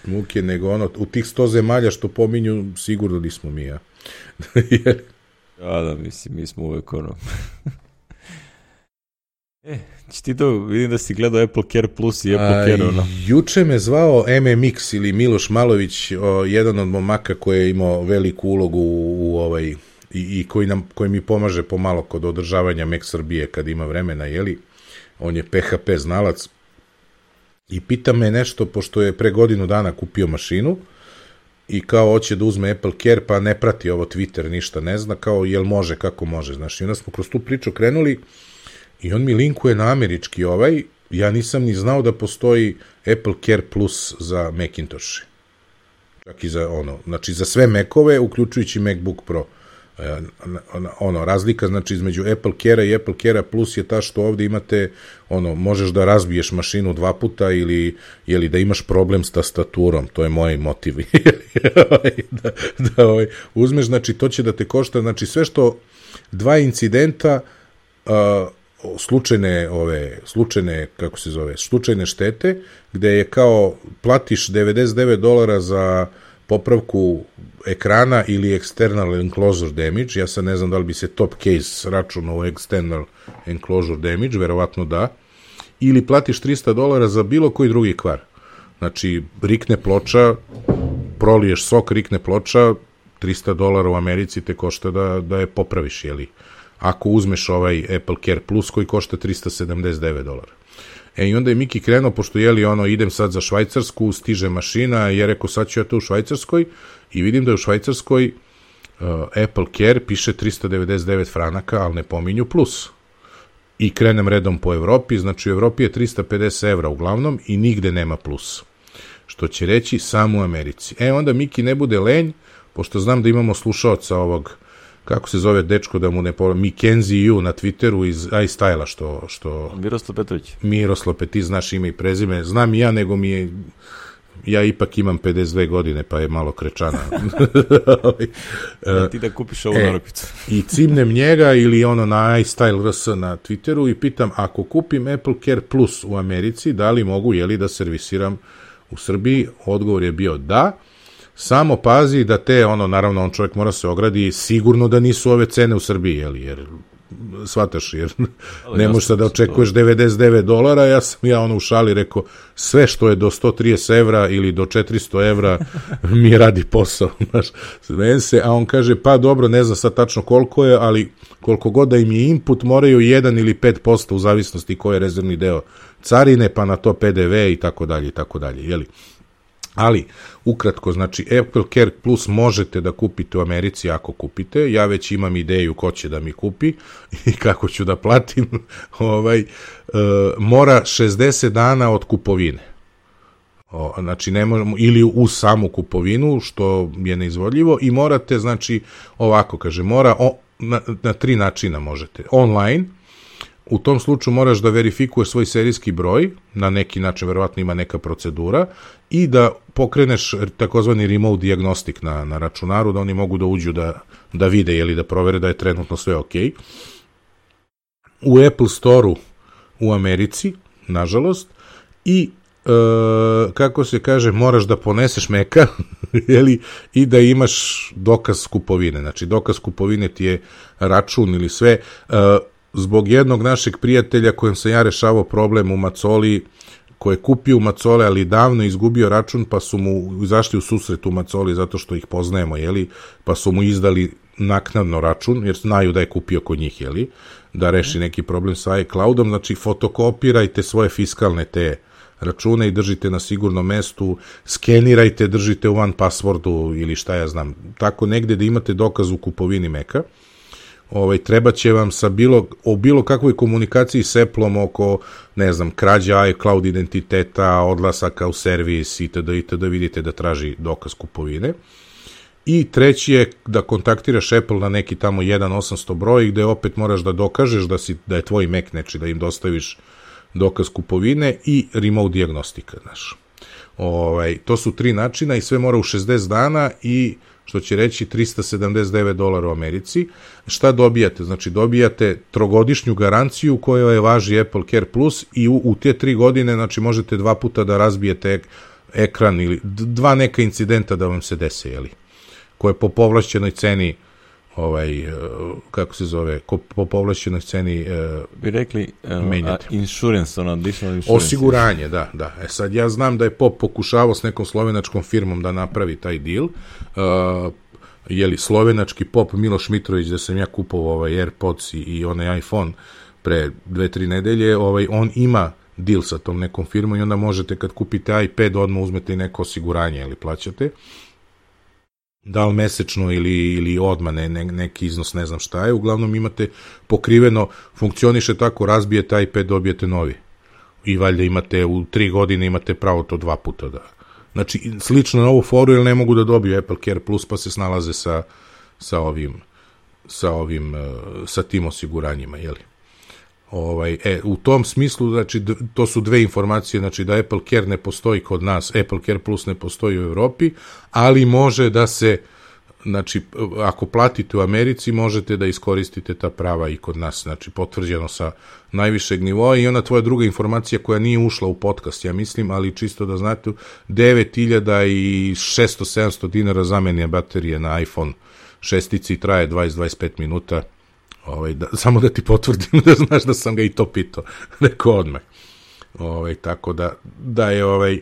Muke, nego ono, u tih sto zemalja što pominju, sigurno nismo mi, ja. Ja, da, mislim, mi smo uvek ono. E, će ti to, vidim da si gledao Apple Care Plus i Apple A, Care, ono. Juče me zvao M M X ili Miloš Malović, o, jedan od momaka koji je imao veliku ulogu u, u ovaj, i, i koji, nam, koji mi pomaže pomalo kod održavanja Mac Srbije kad ima vremena, jeli? On je P H P znalac. I pita me nešto, pošto je pre godinu dana kupio mašinu i kao hoće da uzme Apple Care, pa ne prati ovo Twitter, ništa ne zna, kao jel može, kako može, znaš. I onda smo kroz tu priču krenuli i on mi linkuje na američki ovaj, ja nisam ni znao da postoji Apple Care Plus za Macintosh. Čak i za ono, znači za sve Macove, uključujući MacBook Pro. Ono, razlika znači između Apple Care i Apple Care Plus je ta što ovdje imate, ono, možeš da razbiješ mašinu dva puta ili, ili da imaš problem s tastaturom, to je moj motiv. da, da ovaj, uzmeš, znači to će da te košta, znači sve što dva incidenta, uh, slučajne ove, slučajne, kako se zove, slučajne štete, gde je kao platiš devedeset devet dolara za popravku ekrana ili external enclosure damage, ja sad ne znam da li bi se top case računao u external enclosure damage, verovatno da, ili platiš trista dolara za bilo koji drugi kvar. Znači, rikne ploča, proliješ sok, rikne ploča, trista dolara u Americi te košta da, da je popraviš, jeli? Ako uzmeš ovaj Apple Care Plus koji košta trista sedamdeset devet dolara. E i onda je Miki krenuo, pošto jeli ono, idem sad za Švajcarsku, stiže mašina, je rekao sad ću ja to u Švajcarskoj i vidim da je u Švajcarskoj uh, Apple Care piše trista devedeset devet franaka, ali ne pominju plus. I krenem redom po Evropi, znači u Evropi je trista pedeset evra uglavnom i nigde nema plus. Što će reći samo u Americi. E onda Miki ne bude lenj, pošto znam da imamo slušaoca ovog, kako se zove dečko da mu ne povljam, Mackenzie U na Twitteru iz iStyle-a, što, što... Miroslav Petrović. Miroslav Petrović, ti znaš ime i prezime. Znam i ja, nego mi je... Ja ipak imam pedeset dve godine, pa je malo krečana. Da ti da kupiš ovu e, narukvicu. I cimnem njega ili ono na iStyle R S na Twitteru i pitam, ako kupim Apple Care Plus u Americi, da li mogu, jeli, da servisiram u Srbiji? Odgovor je bio da. Samo pazi da te, ono, naravno, on čovjek mora se ogradi, sigurno da nisu ove cene u Srbiji, jeli, jer, shvataš, jer ne možeš sad da očekuješ devedeset devet dolara, ja sam ja ono u šali rekao, sve što je do sto trideset evra ili do četiristo evra mi radi posao, znaš, se, a on kaže, pa dobro, ne znam sad tačno koliko je, ali koliko god da im je input, moraju jedan ili pet posto u zavisnosti koji je rezervni deo carine, pa na to P D V i tako dalje i tako dalje, jeli. Ali, ukratko, znači, Apple Care Plus možete da kupite u Americi ako kupite, ja već imam ideju ko će da mi kupi i kako ću da platim, ovaj, e, mora šezdeset dana od kupovine. O, znači, ne možemo, ili u samu kupovinu, što je neizvodljivo, i morate, znači, ovako, kaže, mora, o, na, na tri načina možete. Online, u tom slučaju moraš da verifikuješ svoj serijski broj, na neki način verovatno ima neka procedura, i da pokreneš takozvani remote diagnostik na, na računaru, da oni mogu da uđu da, da vide ili da provere da je trenutno sve ok. U Apple Store-u u Americi, nažalost, i e, kako se kaže, moraš da poneseš Meka jeli, i da imaš dokaz kupovine. Znači, dokaz kupovine ti je račun ili sve. E, zbog jednog našeg prijatelja kojem sam ja rešavao problem u Macoli, koji je kupio u Macole, ali davno izgubio račun, pa su mu izašli u susret u Macoli zato što ih poznajemo, jeli, pa su mu izdali naknadno račun, jer znaju da je kupio kod njih, jeli, da reši neki problem sa iCloudom. Znači, fotokopirajte svoje fiskalne te račune i držite na sigurnom mestu, skenirajte, držite u one passwordu ili šta ja znam, tako negde da imate dokaz u kupovini Meka. Ovaj, treba će vam sa bilo, o bilo kakvoj komunikaciji s Appleom oko, ne znam, krađa iCloud identiteta, odlasaka u servis itd. itd. Vidite da traži dokaz kupovine. I treći je da kontaktiraš Apple na neki tamo jedan osamsto broj gde opet moraš da dokažeš da, si, da je tvoj Mac, neči da im dostaviš dokaz kupovine i remote diagnostika, znaš. Ovaj, to su tri načina i sve mora u šezdeset dana i što će reći trista sedamdeset devet dolara u Americi. Šta dobijate? Znači, dobijate trogodišnju garanciju koja je važi Apple Care Plus i u, u te tri godine, znači, možete dva puta da razbijete ek, ekran ili dva neka incidenta da vam se dese, jeli, koje po povlašćenoj ceni ovaj, kako se zove, ko, po povlašćenoj ceni uh, bi rekli uh, menjate. Insurance, ono, additional insurance. Osiguranje, da, da. E sad, ja znam da je Pop pokušavao s nekom slovenačkom firmom da napravi taj deal. Uh, jeli, slovenački Pop Miloš Mitrović, da sam ja kupovao ovaj AirPods i, i onaj iPhone pre dve, tri nedelje, ovaj, on ima deal sa tom nekom firmom i onda možete kad kupite iPad odmah uzmete i neko osiguranje ili plaćate. Da li mesečno ili, ili odmah ne, ne, neki iznos, ne znam šta je, uglavnom imate pokriveno, funkcioniše tako, razbijete iPad, dobijete novi. I valjda imate, u tri godine imate pravo to dva puta da... Znači, slično na ovu foru, jer ne mogu da dobiju Apple Care Plus, pa se snalaze sa, sa ovim, sa ovim, sa tim osiguranjima, jeli? Ovaj, e, u tom smislu, znači, to su dve informacije, znači da Apple Care ne postoji kod nas, Apple Care Plus ne postoji u Evropi, ali može da se, znači, ako platite u Americi, možete da iskoristite ta prava i kod nas, znači, potvrđeno sa najvišeg nivoa. I ona tvoja druga informacija koja nije ušla u podcast, ja mislim, ali čisto da znate, devet hiljada šesto sedamsto dinara zamenje baterije na iPhone šestici traje dvadeset do dvadeset pet minuta. Ovaj, da, samo da ti potvrdim da znaš da sam ga i to pitao, rekao odmah. Ovaj, tako da, da je, ovaj,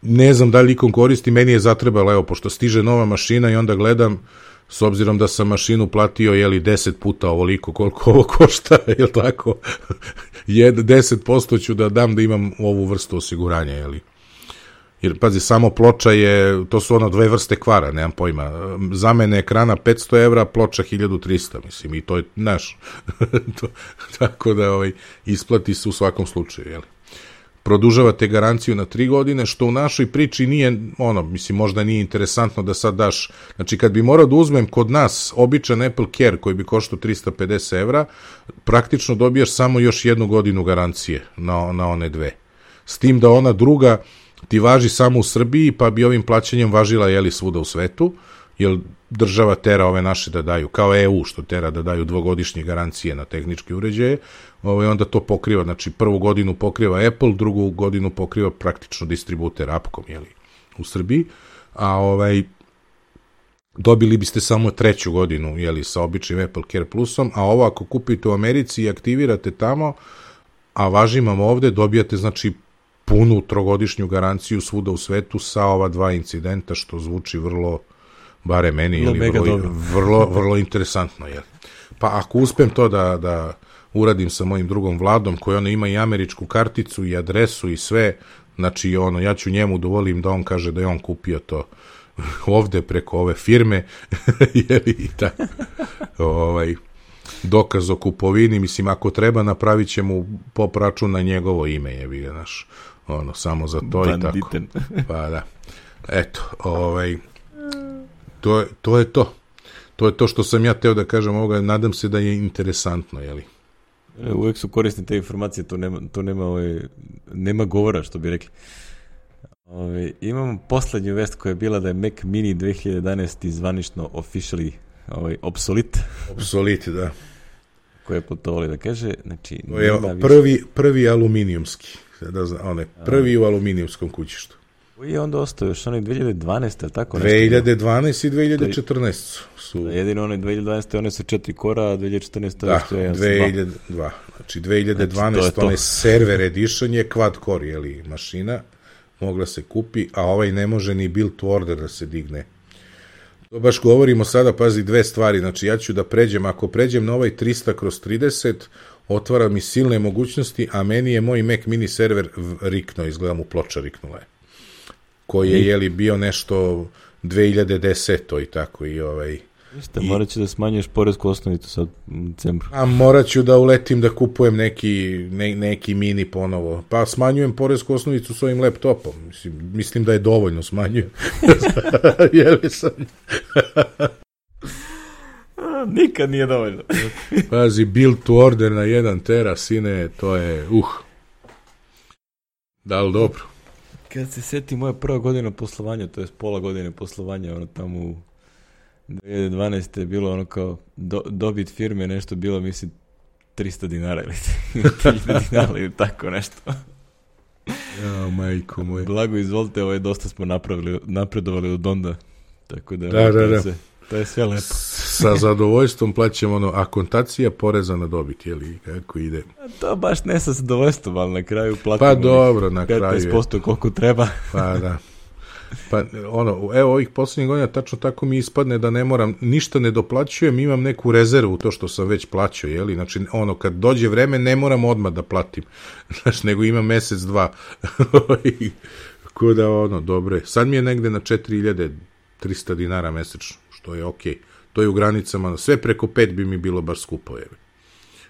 ne znam da li ikom koristi, meni je zatrebalo, evo, pošto stiže nova mašina i onda gledam, s obzirom da sam mašinu platio, jeli, deset puta ovoliko koliko ovo košta, jel tako? deset posto ću da dam da imam ovu vrstu osiguranja, jeli? Jer, pazi, samo ploča je, to su ono dve vrste kvara, nemam pojma. Zamene ekrana petsto evra, ploča hiljadu trista, mislim, i to je naš. to, tako da ovaj, isplati se u svakom slučaju, jeli? Produžavate garanciju na tri godine, što u našoj priči nije, ono, mislim, možda nije interesantno da sad daš, znači kad bi morao da uzmem kod nas običan Apple Care koji bi koštao trista pedeset evra, praktično dobijaš samo još jednu godinu garancije na, na one dve. S tim da ona druga ti važi samo u Srbiji, pa bi ovim plaćanjem važila, jeli, svuda u svetu, jer država tera ove naše da daju, kao E U što tera da daju dvogodišnje garancije na tehničke uređaje, ovaj, onda to pokriva, znači prvu godinu pokriva Apple, drugu godinu pokriva praktično distributer Appcom, jeli, u Srbiji, a ovaj, dobili biste samo treću godinu, jeli, sa običnim Apple Care Plusom, a ovo ako kupite u Americi i aktivirate tamo, a važi vam ovde, dobijate, znači, punu trogodišnju garanciju svuda u svetu sa ova dva incidenta, što zvuči vrlo, bare meni, ili vrlo, vrlo, vrlo interesantno. Jel? Pa ako uspem to da, da uradim sa mojim drugom Vladom, koji ono ima i američku karticu i adresu i sve, znači ono, ja ću njemu dovolim da on kaže da je on kupio to ovde preko ove firme, jeli, i tako, ovaj, dokaz o kupovini, mislim, ako treba, napravit ćemo pop račun na njegovo ime, jebi ga, naš, ono, samo za to. Banditen. I tako. Pa da. Eto, ovaj, to je, to je to. To je to što sam ja teo da kažem ovoga, nadam se da je interesantno, jeli? Uvijek su korisne te informacije, to nema, to nema, ovaj, nema govora, što bi rekli. Ovaj, imamo poslednju vest koja je bila da je Mac Mini dve hiljade jedanaeste zvanično officially ovaj, obsolit. Obsolit, da. Koje je putovali da kaže, znači... Je prvi, prvi aluminijumski, da znam, onaj, prvi u aluminijumskom kućištu. Koji je onda ostao još onaj dve hiljade dvanaeste, tako nešto? dve hiljade dvanaeste i dve hiljade četrnaeste su... Da, jedino onaj dve hiljade dvanaeste, one su četiri kora, a dve hiljade četrnaeste... Da, dve hiljade dva. Znači, dve hiljade dvanaeste, znači, onaj server edition je quad core, jeli, mašina, mogla se kupi, a ovaj ne može ni build to order da se digne. To baš govorimo sada, pazi, dve stvari, znači ja ću da pređem, ako pređem na ovaj trista kroz trideset, otvara mi silne mogućnosti, a meni je moj Mac Mini server riknuo, izgleda mu ploča riknula je, koji je, jeli, bio nešto dve hiljade desete i tako i ovaj... Šta, i... morat ću da smanjuješ poresku osnovicu sad u decembru. A morat ću da uletim da kupujem neki, ne, neki mini ponovo. Pa smanjujem poresku osnovicu s ovim laptopom. Mislim, mislim da je dovoljno smanjujem. Jeli sam... Nikad nije dovoljno. Pazi, build to order na jedan tera, sine, to je, uh. Da li dobro? Kad se seti moja prva godina poslovanja, to je pola godine poslovanja, ono tamo u dve hiljade dvanaeste je bilo ono kao do, dobit firme nešto bilo, mislim, trista dinara ili tri hiljade dinara ili tako nešto. Ja, majko moj. Blago, izvolite, ovo je dosta smo napravili, napredovali od onda. Tako da, da, da, da. Se, to je sve lepo. Sa zadovoljstvom plaćamo ono, akontacija poreza na dobit, jeli, kako ide? A to baš ne sa zadovoljstvom, ali na kraju platimo pa dobro, na kraju petnaest posto koliko treba. Pa da. Pa ono, evo ovih posljednjih godina tačno tako mi ispadne da ne moram, ništa ne doplaćujem, imam neku rezervu to što sam već plaćao, jeli, znači ono, kad dođe vreme ne moram odmah da platim, znači, nego imam mesec, dva, kuda ono, dobro je, sad mi je negde na četiri hiljade trista dinara mesečno, što je okej, to je u granicama, sve preko pet bi mi bilo baš skupo, jebi,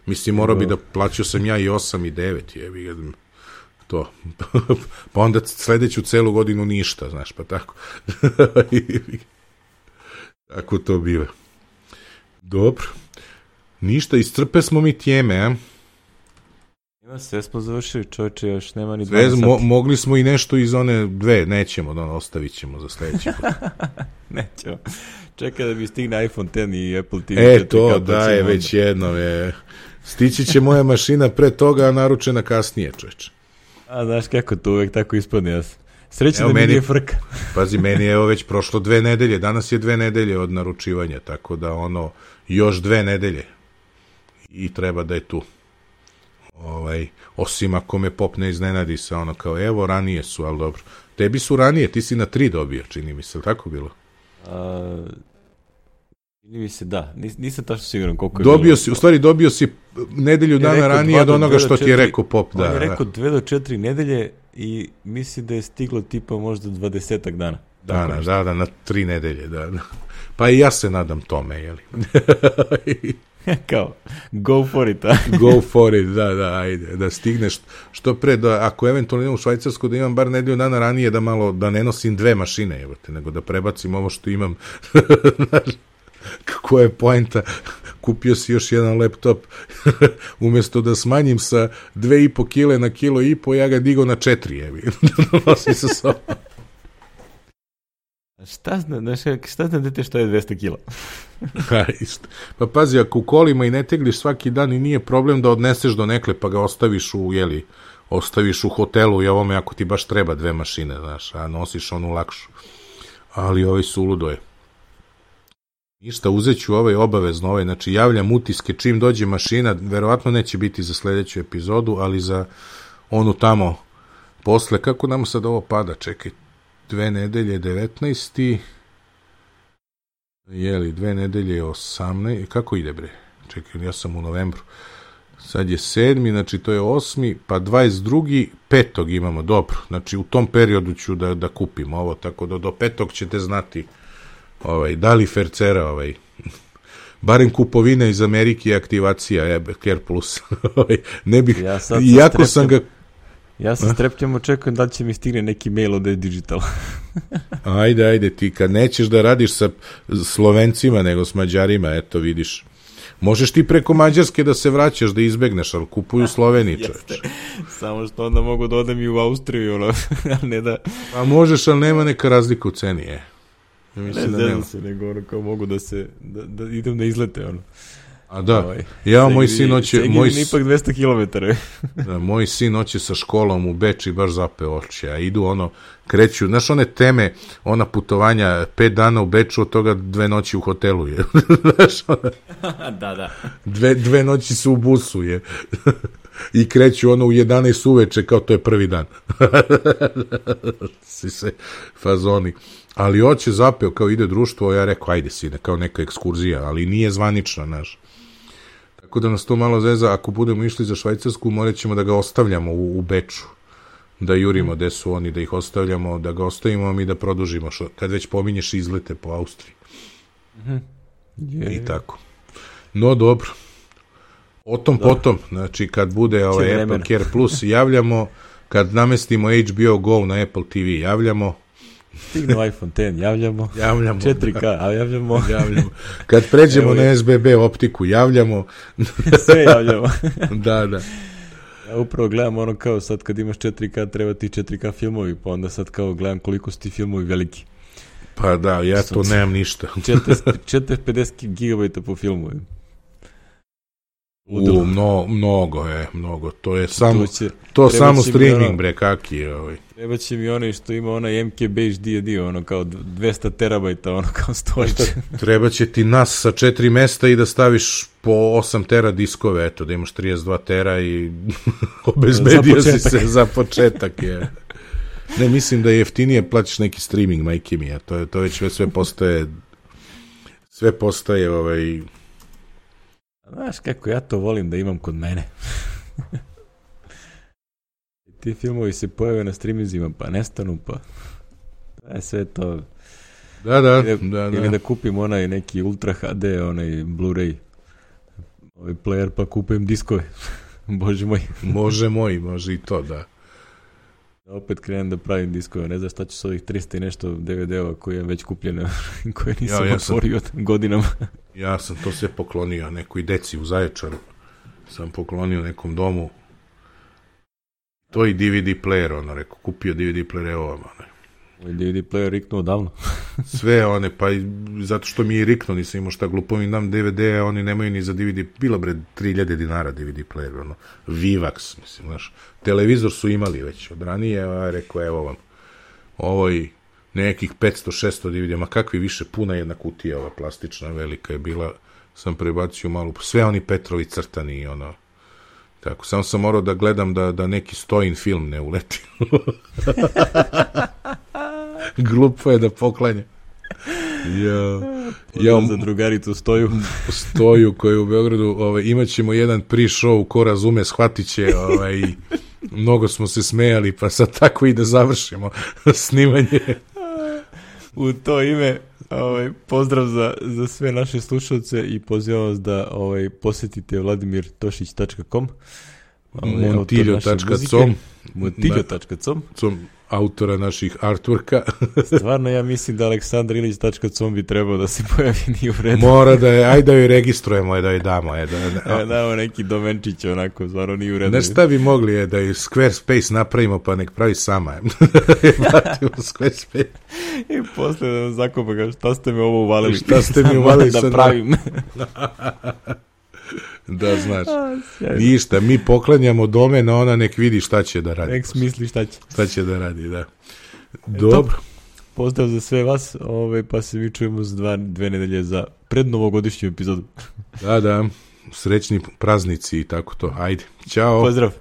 mislim, morao bi da plaćao sam ja i osam i devet, jebi, jebi, to. Pa onda sledeću celu godinu ništa, znaš, pa tako. Tako to biva. Dobro. Ništa, iscrpe smo mi tijeme, a? Ima, sve smo završili, čovječe, još nema ni dvanaest sati. Mo- mogli smo i nešto iz one dve, nećemo, da ostavit ćemo za sledeći put. Nećemo. Čekaj da bi stigne iPhone deset i Apple T V. E, to, da je već jedno, je. Stići će moja mašina pre toga, a naručena kasnije, čovječe. A znaš kako to uvek tako ispadne, ja srećno da mi nije frka. Pazi, meni je evo već prošlo dve nedelje, danas je dve nedelje od naručivanja, tako da ono, još dve nedelje i treba da je tu. Ovaj, osim ako me pop ne iznenadi sa ono kao, evo, ranije su, ali dobro. Tebi su ranije, ti si na tri dobio, čini mi se, tako bilo? A, Mi se da, Nis, nisam tačno siguran koliko je dobio bilo. Si, u stvari dobio si nedelju dana ranije od onoga što ti je rekao Pop. Da, on je rekao dve do četiri nedelje i misli da je stiglo tipa možda dvadesetak dana. Dana, da, da, na tri nedelje, da, da. Pa i ja se nadam tome, jeli. Kao, go for it, a? Go for it, da, da, ajde, da stigneš što pre, da, ako eventualno idem u Švajcarsku, da imam bar nedelju dana ranije, da malo, da ne nosim dve mašine, evo te, nego da prebacim ovo što imam. Kako je poenta, kupio si još jedan laptop, umjesto da smanjim sa dve i po kile na kilo i po, ja ga digo na četiri, evi, da nosim sa sobom. Šta zna, šta zna dete što je dvesta kila? Pa pazi, ako u kolima i ne tegliš svaki dan i nije problem da odneseš do nekle pa ga ostaviš u, jeli, ostaviš u hotelu i ovome ako ti baš treba dve mašine, znaš, a nosiš onu lakšu. Ali ovaj suludo je. Ništa, uzet ću ovaj obavezno, ovaj, znači javljam utiske čim dođe mašina, verovatno neće biti za sledeću epizodu, ali za onu tamo posle, kako nam sad ovo pada, čekaj, dve nedelje devetnaesti jeli, dve nedelje osamnaesti kako ide bre, čekaj, ja sam u novembru, sad je sedmi, znači to je osmi, pa dvadeset drugi petog imamo, dobro, znači u tom periodu ću da, da kupim ovo, tako da do petog ćete znati ovaj, da li fercera, ovaj, barem kupovina iz Amerike i aktivacija je Care Plus. Ne bih, ja iako sam ga... Ja sa strepnjom očekujem da će mi stigne neki mail od E-Digital. Ajde, ajde, ti kad nećeš da radiš sa Slovencima nego s Mađarima, eto vidiš. Možeš ti preko Mađarske da se vraćaš, da izbegneš, ali kupuju Sloveniji, čovječ. Samo što onda mogu da odem i u Austriju, ono, ne da... Pa možeš, ali nema neka razlika u ceni, je. Ja ne znam se, nego ono kao mogu da se, da, da idem na izlete, ono. A da, ovaj, ja, moj sin hoće... Moj ipak dvesta kilometara. Da, moj sin hoće sa školom u Beč i baš zape oči, a idu ono, kreću, znaš one teme, ona putovanja, pet dana u Beču, od toga dve noći u hotelu je. Znaš, ona, da, da. Dve, dve noći su u busu je. I kreću ono u jedanaest uveče, kao to je prvi dan. Si se fazoni. Ali hoće zapeo, kao ide društvo, ja rekao, ajde sine, kao neka ekskurzija, ali nije zvanična, znaš. Tako da nas to malo zeza, ako budemo išli za Švajcarsku, morat ćemo da ga ostavljamo u, u Beču, da jurimo gde su oni, da ih ostavljamo, da ga ostavimo mi da produžimo, što, kad već pominješ izlete po Austriji. Mm-hmm. Yeah. I tako. No, dobro. O tom dobro. Potom, znači kad bude ovaj Apple Care Plus javljamo, kad namestimo H B O Go na Apple T V javljamo, stigne iPhone X, javljamo. Javljamo. četiri K, a javljamo. javljamo. Kad pređemo evo na S B B optiku, javljamo. Sve javljamo. Da, da. Ja upravo gledam ono kao sad kad imaš četiri K, treba ti četiri K filmovi, pa onda sad kao gledam koliko su ti filmovi veliki. Pa da, ja to nemam ništa. četiristo pedeset gigabajta po filmu. U, mno, mnogo je, mnogo. To je samo, to, će, to samo streaming, ono, bre, kaki je ovaj. Treba će mi onaj što ima onaj M K B H D, ono kao dvesta terabajta, ono kao storage. Treba će ti nas sa četiri mesta i da staviš po osam tera diskove, eto, da imaš trideset dva tera i obezbedio si se za početak. Je. Ne, mislim da je jeftinije plaćaš neki streaming, majke mi, to, je, to već sve postaje sve postaje ovaj... Znaš kako ja to volim da imam kod mene. Ti filmovi se pojave na streamingima, pa nestanu, pa je sve to... Da, da, ili, da, da. Ili da kupim onaj neki Ultra H D, onaj Blu-ray ovaj player, pa kupim diskove. Bože moj. Može moj, može i to, da. Opet krenem da pravim diskove, ne znam šta ću s ovih trista i nešto D V D-ova koje je već kupljeno, koje nisam ja, ja otvorio sam, godinama. Ja sam to sve poklonio nekoj deci u Zaječaru, sam poklonio nekom domu, to i D V D player, ono, rekao, kupio D V D player, evo vam, ono. Ovaj D V D player riknuo davno. Sve one, pa i zato što mi je riknuo, nisam imao šta glupovim, dam D V D, oni nemaju ni za D V D, bila bre tri hiljade dinara D V D player, ono, Vivax, mislim, znaš, televizor su imali već od ranije, a rekao, evo vam, ovo i nekih petsto šesto D V D, ma kakvi više, puna jedna kutija, ova plastična, velika je bila, sam prebacio malo, sve oni Petrovi crtani i ono, tako, samo sam morao da gledam da, da neki Stojin film ne uleti. Glupo je da poklanja. Ja. Ja, za drugaricu Stoju. Stoju koji u Beogradu, ovaj, imat ćemo jedan pre-show, ko razume, shvatit će, ovaj, mnogo smo se smejali, pa sad tako i da završimo snimanje. U to ime, ovaj, pozdrav za, za sve naše slušalce i pozivam vas da ovaj, posjetite vladimir tošić tačka com, ovaj, montiljo tačka com, montiljo tačka com, autora naših artworka. Stvarno ja mislim da aleksandar ilić tačka com bi trebao da se pojavi, nije u redu. Mora da je, ajde da joj registrujemo, je, da joj damo. Je, da, da, ja, damo neki domenčić onako, stvarno nije u redu. Ne šta bi mogli je da je Squarespace napravimo pa nek pravi sama. Vratimo Squarespace. I posle da nam zakopa ga, šta ste me ovo uvalili? Šta ste mi uvalili da pravim? Da, znaš. Ništa, mi poklanjamo domen, a ona nek vidi šta će da radi. Nek smisli šta će. Šta će da radi, da. Dobro. Pozdrav za sve vas, ovaj, pa se mi čujemo za dva, dve nedelje za prednovogodišnju epizodu. Da, da. Srećni praznici i tako to. Ajde. Ćao. Pozdrav.